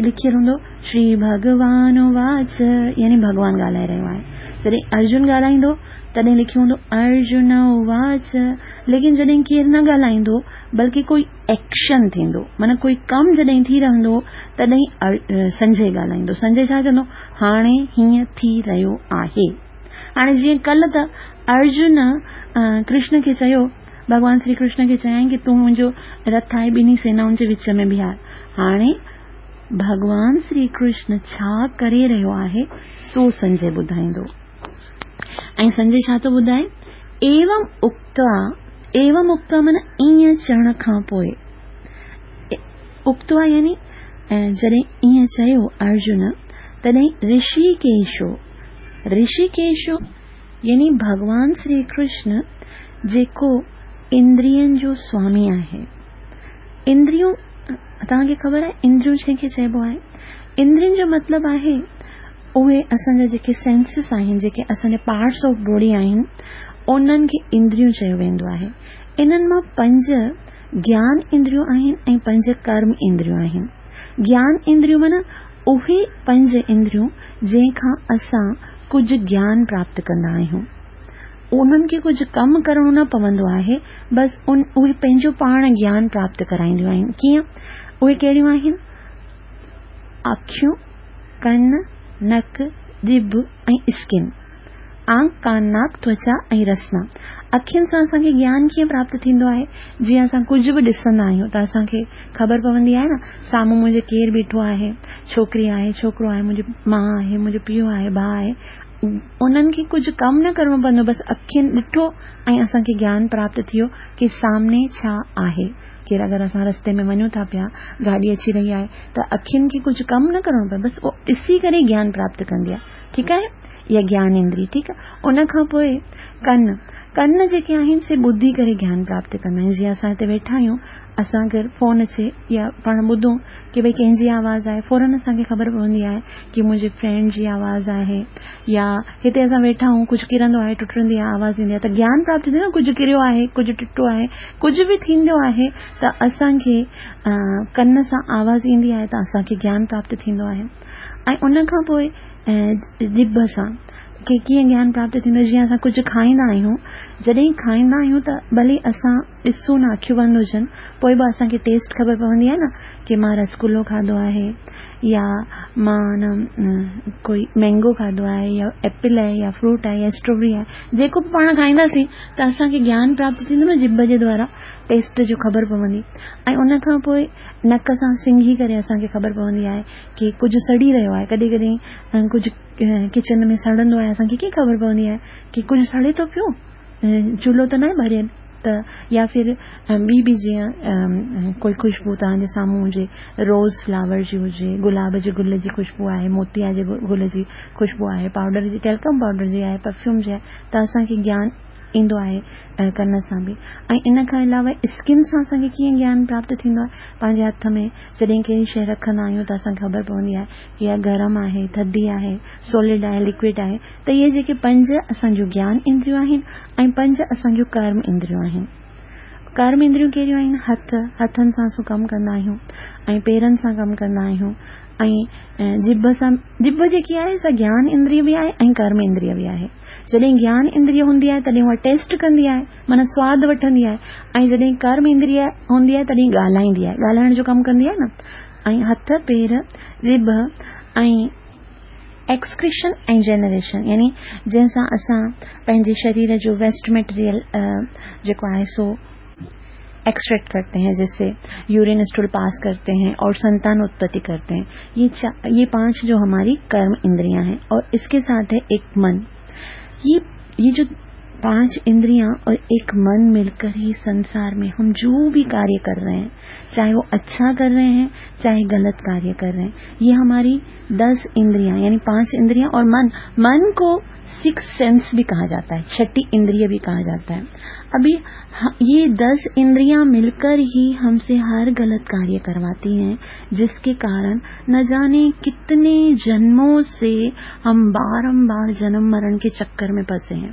लिखियल हूंदो श्री भगवान उवाच, यानी भॻवान ॻाल्हाए रहियो आहे। जॾहिं अर्जुन ॻाल्हाईंदो तॾहिं लिखियो हूंदो अर्जुन उवाच। लेकिन जॾहिं केरु न ॻाल्हाईंदो बल्कि कोई एक्शन थींदो, माना कोई कमु जॾहिं थी रहंदो तॾहिं संजय ॻाल्हाईंदो। संजय छा चवंदो? हाणे हीअं थी रहियो आहे। हाणे जीअं कल्ह त अर्जुन कृष्ण खे चयो, भॻवान श्री कृष्ण खे चयईं की तूं मुंहिंजो रथ आहे ॿिन्ही सेनाउनि जे विच में बीहार। हाणे भॻवान श्री कृष्ण छा करे रहियो आहे सो संजय ॿुधाईंदो। ऐं संजय छा थो ॿुधाए? एवं उक्त्वा, एवं उक्त्वा माना ईअं चवण खां पोइ, उक्त्वा यानी जॾहिं ईअं चयो अर्जुन तॾहिं ऋषिकेशो, ऋषिकेशो यानी भॻवान श्री कृष्ण जेको इंद्रियनि जो स्वामी आहे। इंद्रियूं तव्हांखे ख़बर आहे इंद्रियूं जंहिंखे चइबो आहे? इंद्रियुनि जो मतिलबु आहे उहे असांजा जेके सेंसिस आहिनि, जेके असांजा पार्ट्स ऑफ बॉडी आहिनि, उन्हनि खे इंद्रियूं चयो वेंदो आहे। इन्हनि मां पंज ज्ञान इंद्रियूं आहिनि ऐं पंज कर्म इंद्रियूं आहिनि। ज्ञान इंद्रियूं माना उहे पंज इंद्रियूं जंहिंखां असां कुझु ज्ञान प्राप्त कंदा आहियूं। انهن کي ڪجهه ڪم ڪرڻو نه پوندو آهي، بس ان اهي پنهنجو پاڻ گيان پراپت ڪرائينديون آهن. ڪيئن؟ اهي ڪهڙيون آهن؟ اکيون، ڪن، نڪ، ڄڀ ۽ اسڪن. آنک، ڪان، ناڪ، توچا ۽ رسنا. اکين سان اسان کي گيان ڪيئن پراپت ٿيندو آهي؟ جيئن اسان ڪجهه به ڏسندا آهيون ته اسان کي خبر پوندي آهي نه، سامهون منهنجي ڪير بيٺو آهي، ڇوڪري آهي، ڇوڪرو آهي، منهنجي ماء آهي، منهنجو پيء آهي، ڀاء آهي. انهن کي ڪجهه ڪم نه ڪرڻو پوندو، بس اکين ڏٺو ۽ اسان کي گيان پراپت ٿيو ڪي سامني ڇا آهي. ڪير اگر اسان رستي ۾ وڃون ٿا پيا، گاڏي اچي رهي آهي ته اکين کي ڪجهه ڪم نه ڪرڻو پئي، بس اهو ڏسي ڪري گيان پراپت ڪندي آهي. ٺيڪ آهي، اها گيان اندري. ٺيڪ آهي، ان کان پوء ڪن، ڪن جيڪي آهن سي ٻڌي ڪري گيان پراپت ڪندا آهن. جيئن اسان هتي ويٺا آهيون، اسان اگر فون اچي يا پاڻ ٻڌون ڪي ڀئي ڪنهن جي آواز آهي، فورن اسان کي خبر پوندي آهي ڪي منهنجي فرينڊ جي آواز آهي، يا هتي اسان ويٺا آهيون ڪجهه ڪرندو آهي، ٽٽندي آهي، آواز ايندي آهي ته گيان پراپت ٿيندو آهي نه، ڪجهه ڪريو آهي، ڪجهه ٽٽو آهي، ڪجهه به ٿيندو آهي ته اسان کي ڪن سان آواز ايندي آهي ته اسان کي گيان پراپت ٿيندو آهي. ۽ ان کان پوء ڄڀ سان ڪي ڪيئن گيان پراپت ٿيندو آهي؟ جيئن اسان ڪجهه کائيندا آهيون، جڏهن کائيندا آهيون ته ڀلي اسان ڏسون نه، اکيون بند هجن، پوء به اسان کي ٽيسٽ خبر پوندي آهي نه ڪي مان رسگلو کاڌو آهي يا مان نه ڪوئي مينگو کاڌو آهي يا ايپل آهي يا فروٽ آهي يا اسٽرابري آهي، جيڪو به پاڻ کائينداسين ته اسان کي گيان پراپت ٿيندو نه، ڄڀ جي دوارا ٽيسٽ جو خبر پوندي. ۽ ان کان پوء نڪ سان سنگهي ڪري اسان کي خبر پوندي آهي ڪي ڪجهه سڙي رهيو آهي. ڪڏهن ڪڏهن ڪجهه ڪچن ۾ سڙندو آهي، اسان کي ڪيئن خبر پوندي آهي ڪي ڪجهه سڙي ٿو پيو، چولهو ته ناهي ٻريل ته، يا ڦر ٻي به جيئن ڪوئي خوشبو توهان جي سامهون هجي، روز فلاور جي هجي، گلاب جي گل جي خوشبو آهي، موتيا جي گل جي خوشبو آهي، پائوڊر جي، ٽيلڪم پائوڊر جي آهي، پرفيوم جي آهي، ته اسان کي گيان ايندو آهي ڪن سان به. ۽ ان کان علاوه اسڪن سان اسان کي ڪيئن گيان پراپت ٿيندو آهي؟ پنهنجي هٿ ۾ جڏهن ڪهڙي شيء رکندا آهيون ته اسان کي خبر پوندي آهي ڪي اها گرم آهي، ٿڌي آهي، سولڊ آهي، لڪوئڊ آهي. ته اهي جيڪي پنج اسان جون گيان اندريون آهن ۽ پنج اسان جون ڪرم اندريون آهن. ڪرم اندريون ڪهڙيون آهن؟ هٿ، هٿن سان اسان ڪم ڪندا آهيون ۽ پيرن سان ڪم ڪندا آهيون ۽ ڄڀ سان. ڄڀ جيڪي آهي سا گيان اندري به آهي ۽ ڪرم اندري به آهي. جڏهن گيان اندري هوندي آهي تڏهن اها ٽيسٽ ڪندي آهي، معنيٰ سواد وٺندي آهي، ۽ جڏهن ڪرم اندري هوندي آهي تڏهن ڳالهائيندي آهي، ڳالهائڻ جو ڪم ڪندي آهي نه. ۽ هٿ، پير، ڄڀ ۽ ايڪسڪريشن ۽ جنريشن، يعني جنهن سان اسان پنهنجي شرير جو ويسٽ مٽيريل جيڪو آهي سو एक्सट्रैक्ट करते हैं، जिससे यूरिन स्टूल पास करते हैं और संतान उत्पत्ति करते हैं। ये ये पांच जो हमारी कर्म इंद्रियां हैं और इसके साथ है एक मन। ये ये जो पांच इंद्रियां और एक मन मिलकर ही संसार में हम जो भी कार्य कर रहे हैं، चाहे वो अच्छा कर रहे हैं चाहे गलत कार्य कर रहे हैं، ये हमारी दस इंद्रियां यानी पांच इंद्रियां और मन। मन को सिक्स सेंस भी कहा जाता है، छठी इंद्रिय भी कहा जाता है। अभी ये दस इंद्रियां मिलकर ही हमसे हर गलत कार्य करवाती हैं، जिसके कारण न जाने कितने जन्मों से हम बारंबार जन्म मरण के चक्कर में फंसे हैं।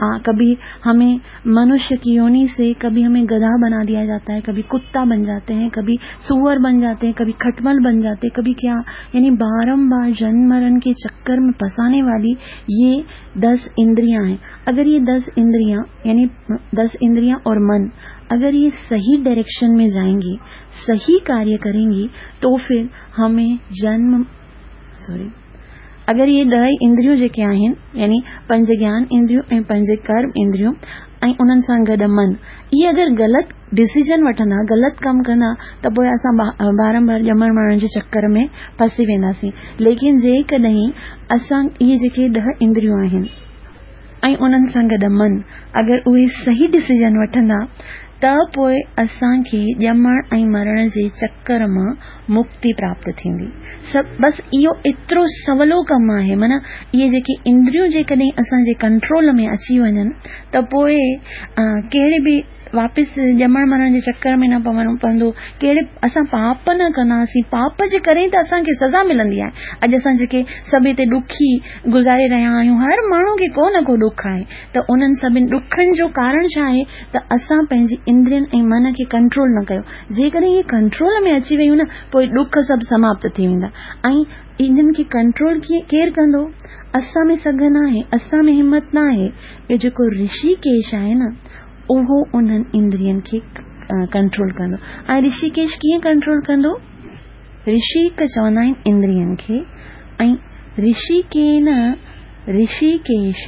आ, कभी हमें मनुष्य की योनि से कभी हमें गधा बना दिया जाता है، कभी कुत्ता बन जाते हैं، कभी सुअर बन जाते हैं، कभी खटमल बन जाते हैं، कभी क्या، यानी बारंबार जन्म मरण के चक्कर में फंसाने वाली ये दस इंद्रियां हैं। अगर ये दस इंद्रियां यानी दस इंद्रियां और मन अगर ये सही डायरेक्शन में जाएंगी، सही कार्य करेंगी، तो फिर हमें जन्म सॉरी अगर ये ॾह इंद्रियूं जेके आहिनि यानी पंज ज्ञान इंद्रियूं ऐं पंज कर्म इंद्रियूं ऐं उन्हनि सां गॾु मन، इहे अगरि ग़लति डिसीजन वठंदा، ग़लति कमु कंदा त पोइ असां बारंबार ॼमण मरण जे चक्कर में फंसी वेंदासीं। लेकिन जेकॾहिं असां इहे जेके ॾह इंद्रियूं आहिनि ऐं उन्हनि सां गॾु मन अगरि उहे सही डिसीजन वठंदा त पोइ असांखे ॼमण ऐं मरण जे चक्कर मां मुक्ति प्राप्त थींदी। सभु बसि इहो एतिरो सवलो कमु आहे، माना इहे जेके इंद्रियूं जेकॾहिं असांजे कंट्रोल में अची वञनि त पोइ कहिड़े बि वापसि ॼमण मरण जे चक्कर में न पवणो पवंदो، कहिड़े असां पाप न कंदासीं। पाप जे करे त असांखे सज़ा मिलंदी आहे। अॼु असां जेके सभु हिते ॾुखी गुज़ारे रहिया आहियूं، हर माण्हू खे को न को ॾुख आहे، त उन्हनि सभिनी ॾुखनि जो कारण छा आहे त असां पंहिंजी इंद्रियुनि ऐं मन खे कंट्रोल न कयो। जेकॾहिं इहे कंट्रोल में अची वयूं न पोइ ॾुख सभु समाप्त थी वेंदा। ऐं इन्हनि खे कंट्रोल कीअं केरु कंदो? اسان ۾ سگهه ناهي، اسان ۾ همت ناهي. اهو جيڪو رشيڪيش آهي نه، اهو انهن اندرين کي ڪنٽرول ڪندو. ۽ رشيڪيش ڪيئن ڪنٽرول ڪندو؟ رشيڪ چوندا آهن اندرين کي، ۽ رشيڪين رشيڪيش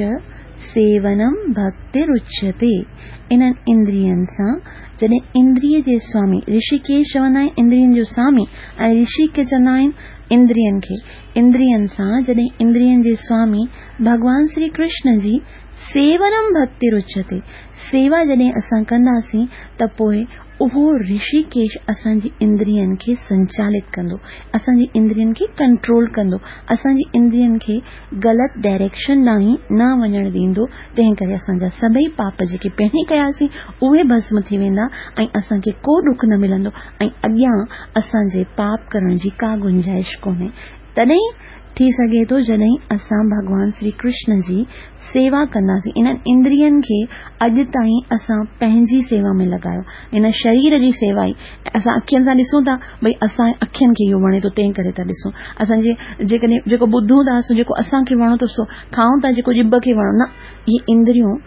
سيونم ڀڪتر اچيتي. انهن اندرين سان جڏهن اندريه جي سوامي، رشيڪيش چوندا آهن اندرين جو سوامي ۽ رشيڪ چوندا آهن اندرين کي، اندرين سان جڏهن اندرين جي سوامي ڀڳوان شري ڪرشن جي سيونم ڀڪتر اچيتي، سيوا جڏهن اسان ڪنداسين ته پوءِ اهو رشيڪيش اسان جي اندرين کي سنچالت ڪندو، اسان جي اندرين کي ڪنٽرول ڪندو، اسان جي اندرين کي غلط ڊائريڪشن ڏانهن نه وڃڻ ڏيندو. تنهن ڪري اسان جا سڀئي پاپ جيڪي پهرين ڪياسين اهي ڀسم ٿي ويندا ۽ اسان کي ڪو ڏک نه ملندو ۽ اڳيان اسان جي پاپ ڪرڻ جي ڪا گنجائش ڪونهي. تڏهن ٿي سگهي ٿو جڏهن اسان ڀڳوان شري ڪرشن جي سيوا ڪنداسين. انهن اندرين کي اڄ تائين اسان پنهنجي سيوا ۾ لڳايو، ان شرير جي سيوا ئي اسان اکين سان ڏسون ٿا، ڀئي اسان اکين کي اهو وڻي ٿو تنهن ڪري ٿا ڏسون. اسان جي جيڪڏهن جيڪو ٻڌون ٿا سو جيڪو اسان کي وڻو ٿو سو کائون ٿا، جيڪو ڄڀ کي وڻو نه. اهي اندريون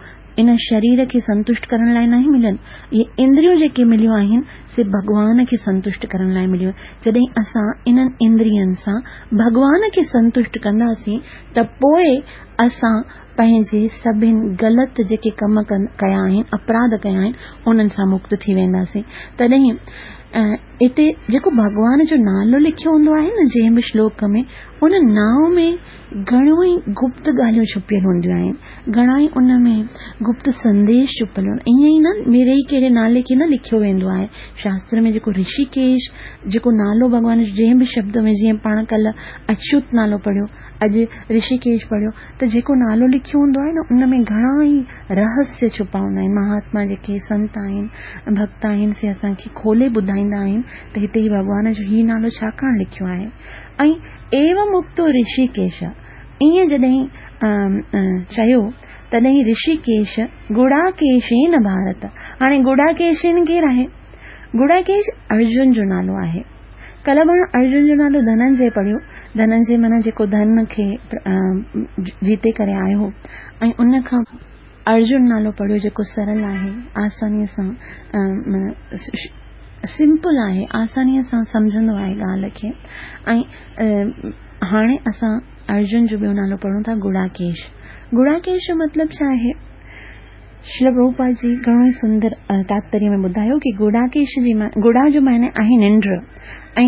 ان شرير کي سنتشٽ ڪرڻ لاءِ ناهي مليل. اهي اندريون جيڪي مليون آهن سي ڀڳوان کي سنتشٽ ڪرڻ لاءِ مليون. جڏهن اسان انهن اندرين سان ڀڳوان کي سنتشٽ ڪنداسين ته پوءِ اسان پنهنجي سڀني غلط جيڪي ڪم ڪيا آهن، اپراڌ ڪيا آهن، انهن سان مڪت ٿي وينداسين. تڏهن هتي جيڪو ڀڳوان جو نالو لکيو هوندو آهي نه جنهن به شلوڪ ۾، ان نانءُ ۾ گهڻيون ئي گپت ڳالهيون ڇپيل هونديون آهن، گهڻا ئي ان ۾ گپت سنديش ڇپيل هوندا. ائين ئي نه ميري ئي ڪهڙي نالي کي نه لکيو ويندو آهي شاستر ۾. جيڪو رشيڪيش جيڪو نالو ڀڳوان جو جنهن به شبد ۾، جيئن پاڻ ڪلهه اڇوت نالو پڙهيو، اڄ رشيڪيش پڙهيو، ته جيڪو نالو لکيو هوندو آهي نه ان ۾ گهڻا ئي رهسيه ڇپا هوندا آهن. مهاتما جيڪي سنت آهن، ڀڪت آهن، سي اسان کي کولي ٻڌائيندا آهن ته هتي ئي ڀڳوان جو هي نالو ڇاڪاڻ لکيو آهي. ۽ ايوم اڪتو رشيڪيش، ائين جڏهن چيو تڏهن رشيڪيش گڙاڪيشين ڀارت. هاڻي گڙاڪيشين ڪير آهي؟ گڙاڪيش ارجن جو نالو آهي. ڪلهه پاڻ ارجن جو نالو ڌننجي پڙهيو. ڌننجي معنيٰ جيڪو ڌن کي جيتي ڪري آيو هو، ۽ ان کان ارجن نالو پڙهيو جيڪو سرل آهي، آسانيءَ سان معنيٰ سمپل آهي، آسانيءَ سان سمجهندو آهي ڳالهه کي. ۽ هاڻي اسان ارجن جو ٻيو نالو پڙهون ٿا گڙاڪيش. گڙاڪيش جو مطلب ڇا آهي؟ شريل پرڀوپاد جي گهڻو ئي سندر تاتپريه ۾ ٻڌايو ڪه گڙاڪيش جي گڙا جو معنيٰ آهي ننڊ، ۽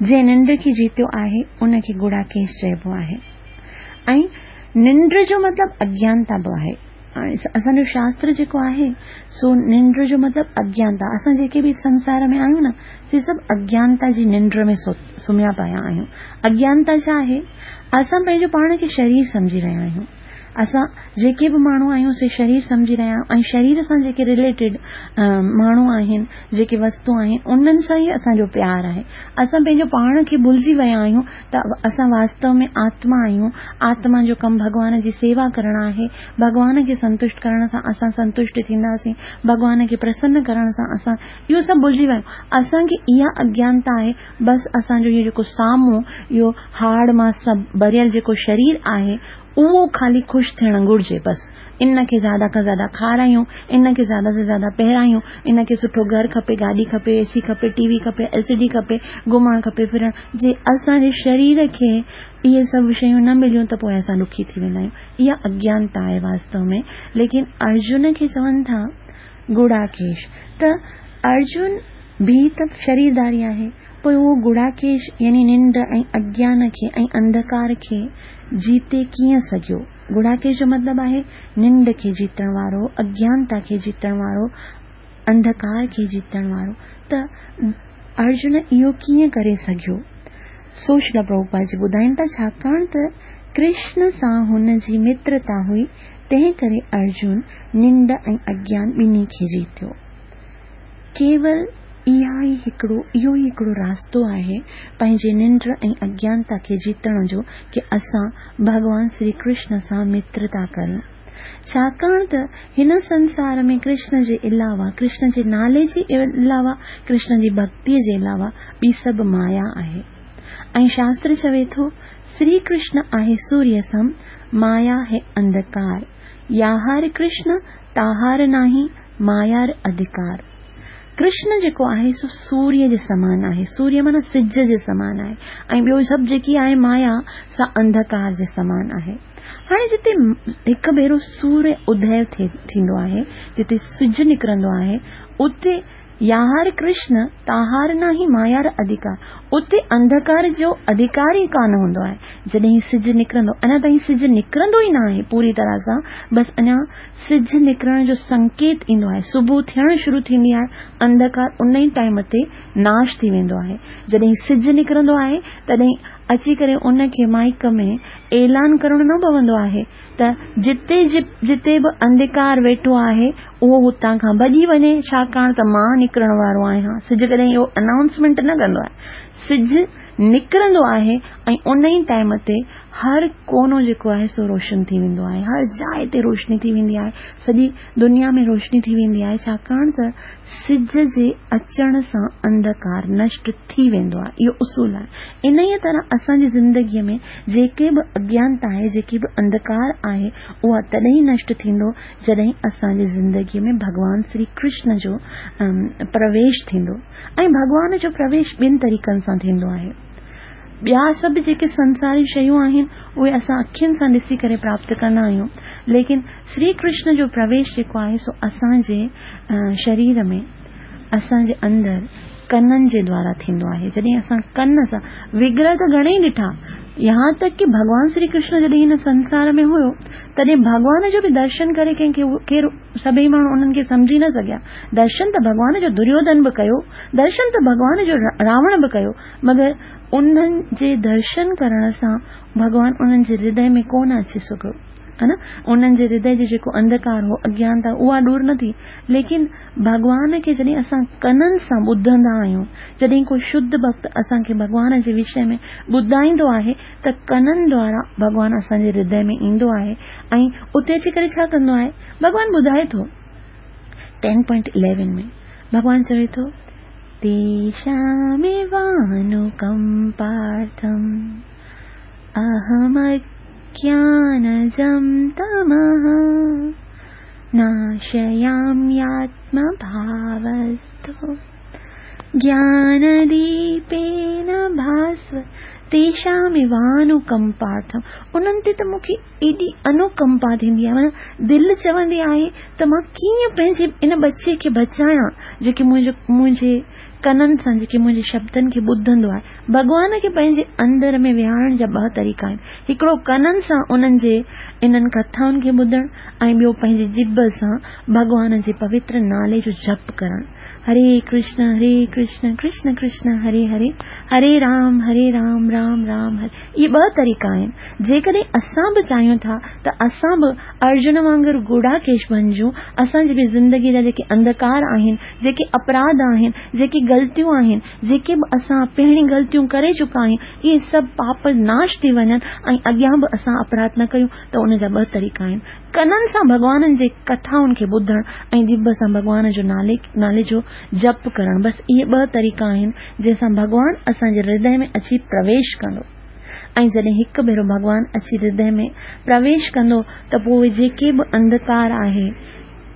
جنهن ننڊ کي جيتيو آهي ان کي گڙاڪيش چئبو آهي. ۽ ننڊ جو مطلب اگيانتا به آهي. اسان جو شاستر جيڪو آهي سو ننڊ جو مطلب اگيانتا. اسان جيڪي به سنسار ۾ آهيون نه سي سڀ اگيانتا جي ننڊ ۾ سمهيا پيا آهيون. اگيانتا ڇا آهي؟ اسان پنهنجو پاڻ کي شرير سمجهي رهيا آهيون. اسان جيڪي به ماڻهو آهيون سي شرير سمجهي رهيا آهيون، ۽ شرير سان جيڪي رليٽيڊ ماڻهو آهن، جيڪي وستو آهن، انهن سان ئي اسان جو پيار آهي. اسان پنهنجو پاڻ کي ڀلجي ويا آهيون ته اسان واستو ۾ آتما آهيون. آتما جو ڪم ڀڳوان جي سيوا ڪرڻ آهي. ڀڳوان کي سنتشٽ ڪرڻ سان اسان سنتشٽ ٿينداسين، ڀڳوان کي پرسن ڪرڻ سان اسان اهو سڀ ڀلجي ويا آهيون. اسان کي اها اگيانتا آهي. بس اسان جو اهو جيڪو سامهون اهو هاڙ مان سڀ ڀريل جيڪو شرير آهي اهو خالي خوش ٿيڻ گهرجي. بس ان کي زياده کان زياده کارايون، ان کي زياده سي زياده پهرايون، ان کي سٺو گهر کپي، گاڏي کپي، اي سي کپي، ٽي وي کپي، ايل سي ڊي کپي، گهمڻ کپي، ڦرڻ. جي اسان جي شرير کي اهي سڀ شيون نه مليون ته پوءِ اسان ڏکي ٿي ويندا آهيون. اها اگيانتا آهي واستو ۾. ليڪن ارجن کي چون ٿا گڙاڪيش، ته ارجن به ته شريرداري آهي، پوءِ اهو گڙاڪيش يعني ننڊ ۽ اگيان کي ۽ انڌڪار کي جيتي ڪيئن سگهيو؟ گڙاڪيش جو مطلب آهي ننڊ کي جيتڻ وارو، اگيانتا کي جيتڻ وارو، انڌڪار کي جيتڻ وارو. ته ارجن اهو ڪيئن ڪري سگهيو؟ سو شريل پرڀوپاد جي ٻڌائين ٿا ڇاڪاڻ ته ڪرشن سان هن جي مترتا هئي، تنهن ڪري ارجن ننڊ ۽ اگيان ٻنهي کي جيتيو. ڪيول اها ئي هڪڙو اهو ئي هڪڙو راستو آهي پنهنجي ننڊ ۽ اگيانتا کي جيتڻ جو ڪه اسان ڀڳوان شري ڪرشن سان مترتا ڪريون. ڇاڪاڻ ته هن سنسار ۾ ڪرشن جي علاوه، ڪرشن جي نالي جي علاوه، ڪرشن جي ڀڪتيءَ جي علاوه ٻي سڀ مايا آهي. ۽ شاستر چوي ٿو، شري ڪرشن آهي سوريه سم، مايا هي انڌڪار. ياهار ڪرشن، تاهار ناهي، مايار اڌڪار. ڪرشن جيڪو آهي سو سوريه جي سمان آهي. سوريه معنيٰ سج جي سمان آهي ۽ ٻيو سڀ جيڪي آهي مايا سا انڌڪار جي سمان آهي. هاڻي جتي هڪ ڀيرو سوريه ادي ٿيندو آهي، جتي سج نڪرندو آهي، اتي ياهار ڪرشن تاهار ناهي مايار اڌڪار. اتي انڌڪار جو اڌڪار ئي ڪانه هوندو آهي. جڏهن سج نڪرندو، اڃا تائين سج نڪرندو ئي نه آهي پوري طرح سان، بس اڃا سج نڪرڻ جو سنڪيت ايندو آهي، صبح ٿيڻ شروع ٿيندي آهي، انڌڪار ان ئي ٽائيم تي ناش ٿي ويندو آهي. جڏهن سج نڪرندو آهي تڏهن اچي ڪري ان کي مائيڪ ۾ اعلان ڪرڻو نه پوندو آهي ته جتي جتي به انڌڪار ويٺو آهي اهو هتان کان ڀڄي وڃي، ڇاڪاڻ ته مان نڪرڻ وارو آهيان. سج ڪڏهن اهو انائونسمينٽ نه ڪندو آهي. سج نڪرندو آهي ۽ ان ئي ٽائيم تي هر ڪونو جيڪو آهي سو روشن ٿي ويندو آهي، هر جاءِ تي روشني ٿي ويندي آهي، سڄي دنيا ۾ روشني ٿي ويندي آهي، ڇاڪاڻ ته سج جي اچڻ سان انڌڪار نشٽ ٿي ويندو آهي. اهو اصول آهي. انهيء طرح اسان جي زندگيء ۾ جيڪي به اگيانتا آهي، جيڪي به انڌڪار آهي، اها تڏهن نشٽ ٿيندو جڏهن اسان جي زندگيء ۾ ڀڳوان شري ڪرشن جو پرويش ٿيندو. ۽ ڀڳوان جو پرويش ٻن طريقن سان ٿيندو آهي. ٻيا سڀ جيڪي سنساري شيون آهن اهي اسان اکين سان ڏسي ڪري پراپت ڪندا آهيون، ليڪن شري ڪرشن جو پرويش جيڪو آهي سو اسان جي شرير ۾ اسان جي اندر ڪنن جي دوارا ٿيندو آهي. جڏهن اسان ڪن سان وگرهه ته گهڻيئي ڏٺا، يهان تڪ ڪه ڀڳوان شري ڪرشن جڏهن هن سنسار ۾ هيو تڏهن ڀڳوان جو به درشن ڪري ڪنهن کي ڪير سڀئي ماڻهو انهن کي سمجهي نه سگهيا. درشن ته ڀڳوان جو دريوڌن به ڪيو، درشن ته ڀڳوان جو راوڻ به ڪيو، مگر انهن جي درشن ڪرڻ سان ڀڳوان انهن جي هردي ۾ ڪونه اچي سگهيو، ها نه؟ انهن جي هردي جو جيڪو انڌڪار هو، اگيانتا، اها دور نه ٿي. ليڪن ڀڳوان کي جڏهن اسان ڪنن سان ٻڌندا آهيون، جڏهن ڪو شڌ ڀڪت اسان کي ڀڳوان جي وشي ۾ ٻڌائيندو آهي ته ڪنن دوارا ڀڳوان اسان جي هردي ۾ ايندو آهي ۽ اتي اچي ڪري ڇا ڪندو آهي؟ ڀڳوان ٻڌائي ٿو ٽين پوائنٽ اليون ۾ ڀڳوان چوي ٿو، تيشاميوانوڪمپارٿم اهمجنم تمः ناشيامياتمڀاوستو گيانديپين ڀاسو تيشاميوانوڪمپارٿم. انهن تي ته مون کي ايڏي انوڪمپا ٿيندي آهي، معنيٰ دل چوندي آهي ته مان ڪيئن پنهنجي ان ٻچي کي بچايان جيڪي منهنجو منهنجي ڪنن سان جيڪي منهنجي شبدن کي ٻڌندو آهي. ڀڳوان کي پنهنجي اندر ۾ ويهارڻ جا ٻه طريقا آهن، هڪڙو ڪنن سان انهن جي انهن ڪٿائن کي ٻڌڻ ۽ ٻيو پنهنجي ڄڀ سان ڀڳوان جي پوتر نالي جو جپ ڪرڻ. هري ڪرشن هري ڪرشن ڪرشن ڪرشن هري هري هري رام هري رام رام رام هري. اهي ٻه طريقا آهن. جيڪڏهن اسان به چاهيون ٿا ته اسان به ارجن وانگر گڙاڪيش بڻجون، اسان جي به زندگي جا جيڪي انڌڪار آهن، جيڪي اپراڌ آهن، جيڪي غلطيون آهن، جيڪي به اسان پهرين غلطيون ڪري چڪا آهيون، اهي سڀ پاپ ناش ٿي وڃن ۽ اڳيان به اسان اپراڌ نه ڪيون، ته ان جا ٻه طريقا آهن. ڪنن سان ڀڳوانن جي ڪٿائن کي ٻڌڻ ۽ ڄڀ سان ڀڳوان جو نالي نالي جو جپ ڪرڻ، بس اهي ٻه طريقا آهن جنهن سان ڀڳوان اسان جي هردي ۾ اچي پرويش ڪندو. ۽ جڏهن هڪ ڀيرو ڀڳوان اچي هردي ۾ پرويش ڪندو ته پوءِ جيڪي به انڌڪار آهي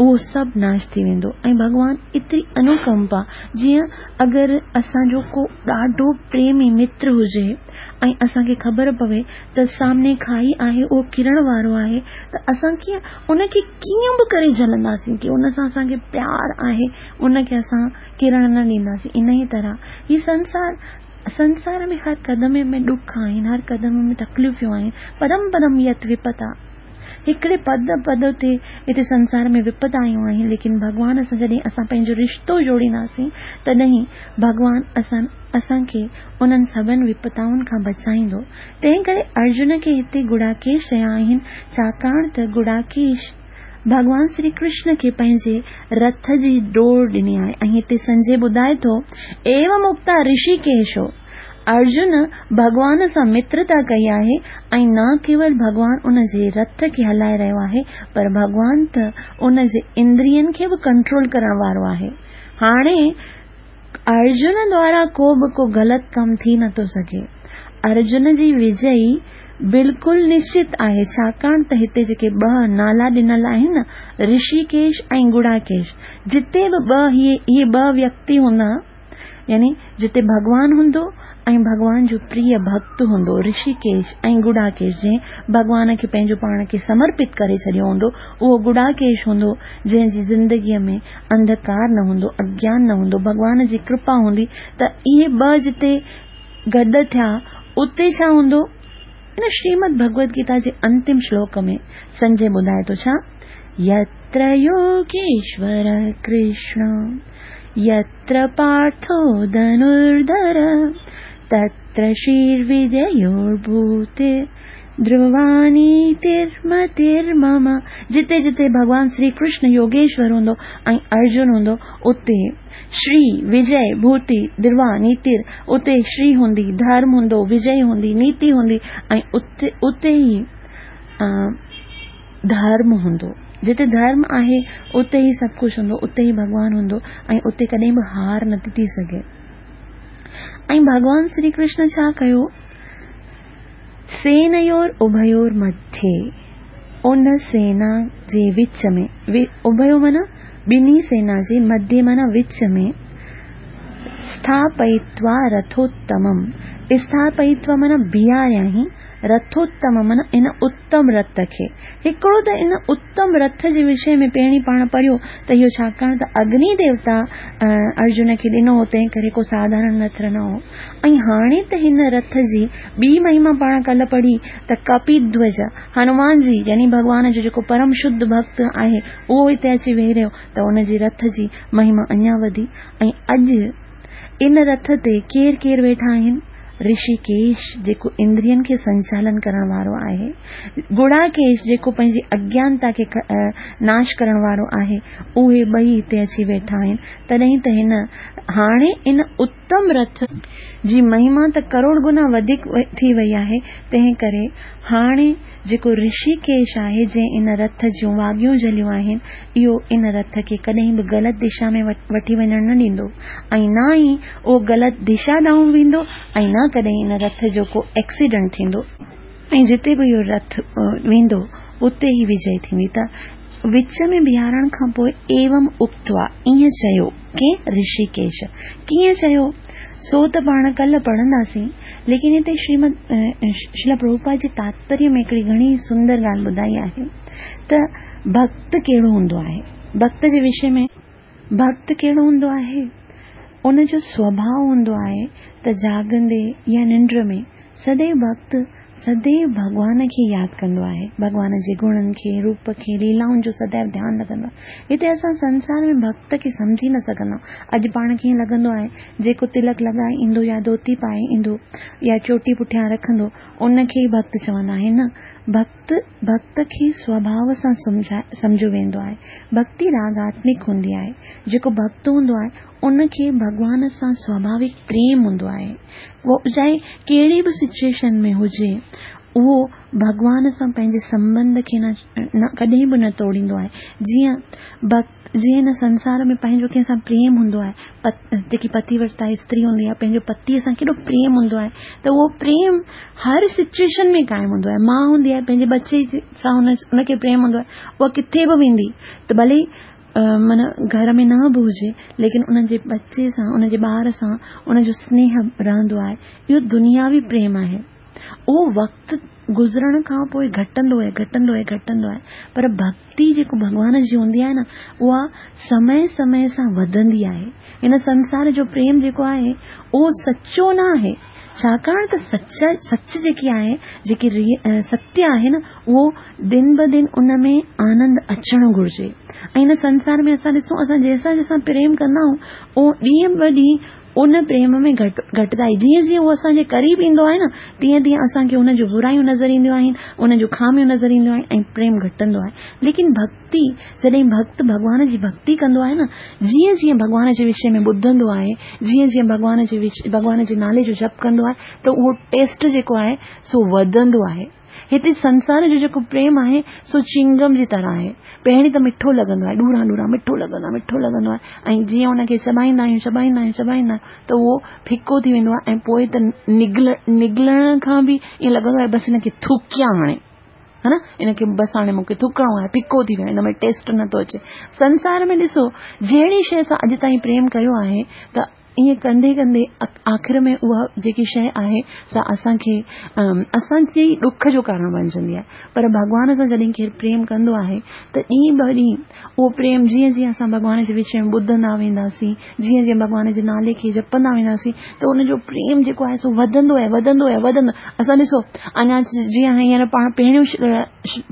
اهو سڀ ناش ٿي ويندو. ۽ ڀڳوان ايتري انوڪمپا، جيئن اگر اسان جو ڪو ڏاڍو پريمي متر هجي ۽ اسان کي خبر پوي ته سامني کائي آهي، اهو ڪرڻ وارو آهي، ته اسان ڪيئن ان کي ڪيئن به ڪري جهلنداسين ڪه ان سان اسان کي پيار آهي، ان کي اسان ڪرڻ نه ڏينداسين. ان ئي طرح هي سنسار سنسار ۾ هر قدم ۾ ڏک آهن، هر قدم ۾ تڪليفون آهن. پدم پدم يت وپتا، هڪڙي پد پد تي هتي سنسار ۾ وپت آيون آهن، ليڪن ڀڳوان سان جڏهن اسان پنهنجو رشتو جوڙينداسين تڏهن ڀڳوان اسان اسان کي انهن سڀني وپتائن کان بچائيندو. تنهن ڪري ارجن کي هتي گڙاڪيش چيا آهن، ڇاڪاڻ ته گڙاڪيش ڀڳوان شري ڪرشن کي پنهنجي رٿ جي ڊوڙ ڏني آهي. ۽ هتي سنجي ٻڌائي ٿو، ايو مڪتا رشيڪيشو، ارجن ڀڳوان سان مترتا ڪئي آهي ۽ نه ڪيول ڀڳوان ان جي رٿ کي هلائي رهيو آهي، پر ڀڳوان ته ان جي اندرين کي به ڪنٽرول ڪرڻ وارو آهي. هاڻي ارجن دوارا ڪو به ڪو غلط ڪم ٿي نٿو سگهي. ارجن جي وجئي بلڪل نشچت آهي، ڇاڪاڻ ته هتي جيڪي ٻه نالا ڏنل آهن نه، رشيڪيش ۽ گڙاڪيش، جتي به ٻه اهي اهي ٻه ويڪتي هوندا، يعني جتي ڀڳوان هوندو ۽ ڀڳوان جو پريه ڀڳت هوندو، رشيڪيش ۽ گڙاڪيش، جنهن ڀڳوان کي پنهنجو پاڻ کي سمرپت ڪري ڇڏيو هوندو، اهو گڙاڪيش هوندو، جنهن جي زندگيء ۾ انڌڪار نه هوندو، اگيان نه هوندو، ڀڳوان جي ڪرپا هوندي، ته اهي ٻه جتي گڏ ٿيا، اتي ڇا هوندو؟ ان شريمد ڀڳوت گيتا جي انتم شلوڪ ۾ سنجي ٻڌائي ٿو ڇا؟ يتر يوگيشور ڪرشن يتر پارٿو ڌنرڌر تتر شرير ڌروا نيترمترمم. جتي جتي ڀڳوان شري ڪرشن يوگيشور هوندو ۽ ارجن هوندو، اتي شري، وجي، ڀوتي، ڌروا، نيتر، اتي شري هوندي، ڌرم هوندو، وجي هوندي، نيتي هوندي ۽ اتي اتي ئي ڌرم هوندو. جتي ڌرم آهي اتي ئي سڀ ڪجهه هوندو، اتي ئي ڀڳوان هوندو ۽ اتي ڪڏهن به هار نٿي ٿي سگهي. ۽ ڀڳوان شري ڪرشن ڇا ڪيو؟ سينيور اڀيور مڌيه، ان سينا جي وچ ۾، اڀيو معنيٰ ٻنهي سينا جي، مڌيه معنيٰ وچ ۾، اسٿاپئتوا رٿوتمم، اسٿاپئتوا معنيٰ بيهاريائين، رٿوتم معنيٰ ان اتم رٿ کي. هڪڙو ته ان اتم رٿ جي وشي ۾ پهرين پاڻ پڙهيو ته اهو ڇاڪاڻ ته اگني ديوتا ارجن کي ڏنو هو، تنهن ڪري ڪو ساڌارڻ رٿ نه هو. ۽ هاڻي ته هن رٿ جي ٻي مهما پاڻ ڪلهه پڙهي ته ڪپيڌوج هنومان جي، يعني ڀڳوان جو جيڪو پرم شڌ ڀڳت آهي، اهو هتي اچي ويهي رهيو ته ان جي رٿ جي مهما اڃا وڌي. ۽ اڄ ان رٿ تي ڪير ڪير ويٺا آهن؟ رشيڪيش جيڪو اندرين کي سنچالن ڪرڻ وارو آهي، گڙاڪيش جيڪو پنهنجي اگيانتا کي ناش ڪرڻ وارو آهي، اهي ٻئي هتي اچي ويٺا آهن. تڏهن ته هن هاڻي ان اتم رٿ جي مهما ته ڪروڙ گنا وڌيڪ ٿي وئي آهي، تنهن ڪري هاڻي جيڪو رشيڪيش آهي، جنهن ان رٿ جون واڳيون جهليون آهن، اهو ان رٿ کي ڪڏهن به غلط دشا ۾ وٺي وڃڻ نه ڏيندو ۽ نه ئي اهو غلط دشا ڏانهن ويندو ۽ نه ڪڏهن ان رٿ جو ڪو ايڪسيڊنٽ ٿيندو. ۽ جتي به اهو رٿ ويندو اتي ئي وجي ٿيندي. ته وچ ۾ بيهارڻ کان پوءِ ايوم اڪتوا، ائين چيو ڪي رشيڪيش. ڪيئن چيو سو ته پاڻ ڪلهه پڙهنداسين، ليڪن هتي شريمد شريلا پرڀوپاد جي تاتپريه ۾ هڪڙي گهڻي سندر ڳالهه ٻڌائي آهي ته ڀڳت ڪهڙو هوندو آهي. ڀڳت جي وشي ۾ ڀڳت ڪهڙو هوندو آهي؟ ان جو سوڀاءُ هوندو آهي ته جاڳندي يا ننڊ ۾ سديو ڀڳت سديو ڀڳوان کي ياد ڪندو آهي، ڀڳوان جي گڻن کي، روپ کي، ليلائن جو سديو ڌيان رکندو آهي. هتي اسان سنسار ۾ ڀڳت کي سمجهي نه سگهندا. اڄ پاڻ کي ائين لڳندو آهي جيڪو تلڪ لڳائي ايندو يا ڌوتي پائي ايندو يا چوٽي پٺيان رکندو، ان کي ئي ڀڳت چوندا آهن. نه، ڀڳت ڀڳت کي سوڀاءُ سان سمجهيو ويندو آهي. ڀڳتي راڳاتمڪ هوندي آهي. جيڪو ڀڳت هوندو آهي ان کي ڀڳوان سان سوڀاوڪ پريم هوندو آهي. اهو چاهي ڪهڙي به سچوئيشن ۾ هجي، اهو ڀڳوان سان پنهنجي سنٻنڌ کي نه ڪڏهن به نه توڙيندو آهي. جيئن ڀڳت جيئن هن سنسار ۾ پنهنجو ڪنهن سان پريم هوندو آهي، جيڪي پتيورتا استري هوندي آهي، پنهنجو پتيءَ سان ڪيڏو پريم هوندو آهي، ته اهو پريم هر سچوئيشن ۾ قائم هوندو آهي. ماءُ هوندي آهي پنهنجي ٻچي سان هن کي پريم هوندو آهي، اها ڪٿي به ويندي ته ڀلي معنيٰ گهر ۾ نه به هجي، ليڪن ان جي ٻچي سان، ان جي ٻار سان ان جو سنيهه رهندو آهي. اهو دنياوي پريم آهي. اهو وقت گذرڻ کان پوءِ گهٽندو آهي، گهٽندو آهي، گهٽندو آهي، پر ڀڳتي جيڪو ڀڳوان جي هوندي آهي نه، اها سمي سمي سان وڌندي آهي. هن سنسار جو پريم جيڪو آهي اهو سچو نه آهي، ڇاڪاڻ ته سچ سچ جيڪي آهي، جيڪي ستيه آهي نه، اهو دن به دن ان ۾ آنند اچڻ گهرجي. ۽ هن سنسار ۾ اسان ڏسون، اسان جنهن سان جنهن سان پريم ڪندا آهيون، اهو ڏينهن به ڏينهن ان پريم ۾ گهٽ گهٽتائي، جيئن جيئن اهو اسان جي قريب ايندو آهي نه، تيئن تيئن اسان کي ان جون برايون نظر اينديون آهن، ان جون خاميون نظر اينديون آهن ۽ پريم گهٽندو آهي. ليڪن ڀڳتي، جڏهن ڀڳت ڀڳوان جي ڀڳتي ڪندو آهي نه، جيئن جيئن ڀڳوان جي وشي ۾ ٻڌندو آهي، جيئن جيئن ڀڳوان جي ڀڳوان جي نالي جو جپ ڪندو آهي، ته اهو ٽيسٽ جيڪو آهي سو وڌندو آهي. هتي سنسار جو جيڪو پريم آهي سو چنگم جي طرح آهي. پهرين ته مٺو لڳندو آهي، ڏوران ڏوران مٺو لڳندو آهي، مٺو لڳندو آهي ۽ جيئن ان کي چٻائيندا آهيون چٻائيندا آهيون چٻائيندا آهيون ته اهو ڦڪو ٿي ويندو آهي ۽ پوء ته نگل نگلڻ کان به ائين لڳندو آهي بس هن کي ٿڪيان هاڻي، ها نه، ان کي بس هاڻي مون کي ٿڪڻو آهي، ڦڪو ٿي ويو، هن ۾ ٽيسٽ نٿو اچي. سنسار ۾ ڏسو جهڙي شيء سان اڄ تائين پريم ڪيو آهي ته ائين ڪندي ڪندي آخر ۾ اها جيڪي شيء آهي سا اسان کي اسان جي ڏک جو ڪارڻ بڻجندي آهي. پر ڀڳوان سان جڏهن ڪير پريم ڪندو آهي ته ڏينهن به ڏينهن اهو پريم جيئن جيئن اسان ڀڳوان جي وچ ۾ ٻڌندا وينداسين، جيئن جيئن ڀڳوان جي نالي کي جپندا وينداسين ته ان جو پريم جيڪو آهي سو وڌندو آهي، وڌندو آهي، وڌندو. اسان ڏسو اڃا جيئن هينئر پاڻ پهريون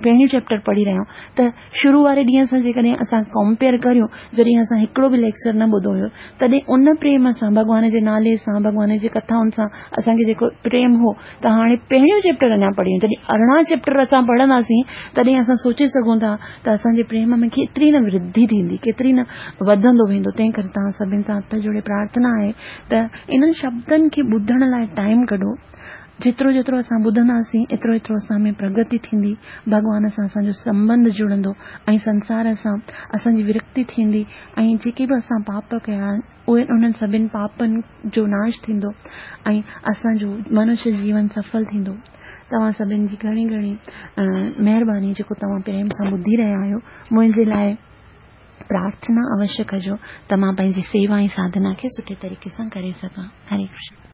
پهريون چيپٽر پڙهي رهيا آهيون ته شروع واري ڏينهن سان جيڪڏهن اسان ڪمپيئر ڪريون، جڏهن اسان هڪڙو به ليڪچر نه ٻڌو هيو، تڏهن ان پريم سان ڀڳوان جي نالي سان ڀڳوان جي ڪٿائن سان اسان کي جيڪو پريم هو ته هاڻي پهريون چيپٽر اڃا پڙهيون، جڏهن ارڙهن چيپٽر اسان پڙهنداسين تڏهن اسان سوچي سگهون ٿا ته اسان جي پريم ۾ ڪيتري نه ورڌي ٿيندي، ڪيتري نه وڌندو ويندو. تنهن ڪري توهان سڀني سان هٿ جوڙي پرارٿنا آهي ته انهن شبدن کي ٻڌڻ لاء ٽائيم ڪڍو. جيترو جيترو اسان ٻڌنداسين ايترو ايترو اسان ۾ پرگتي ٿيندي، ڀڳوان سان اسان جو سنٻنڌ جڙندو ۽ سنسار سان اسان جي ورڪتي ٿيندي ۽ جيڪي به اسان پاپ ڪيا آهن اهي انهن سڀني پاپن جو ناش ٿيندو ۽ اسان جو منشيه جيون سڦل ٿيندو. توهان سڀني جي گهڻي گهڻي مهرباني جيڪو توهان پريم سان ٻڌي رهيا آهيو. منهنجي لاء پرارٿنا اوشيه ڪجو ته مان پنهنجي سيوا ۽ ساڌنا کي سٺي طريقي سان ڪري سگهان. هري ڪرشن.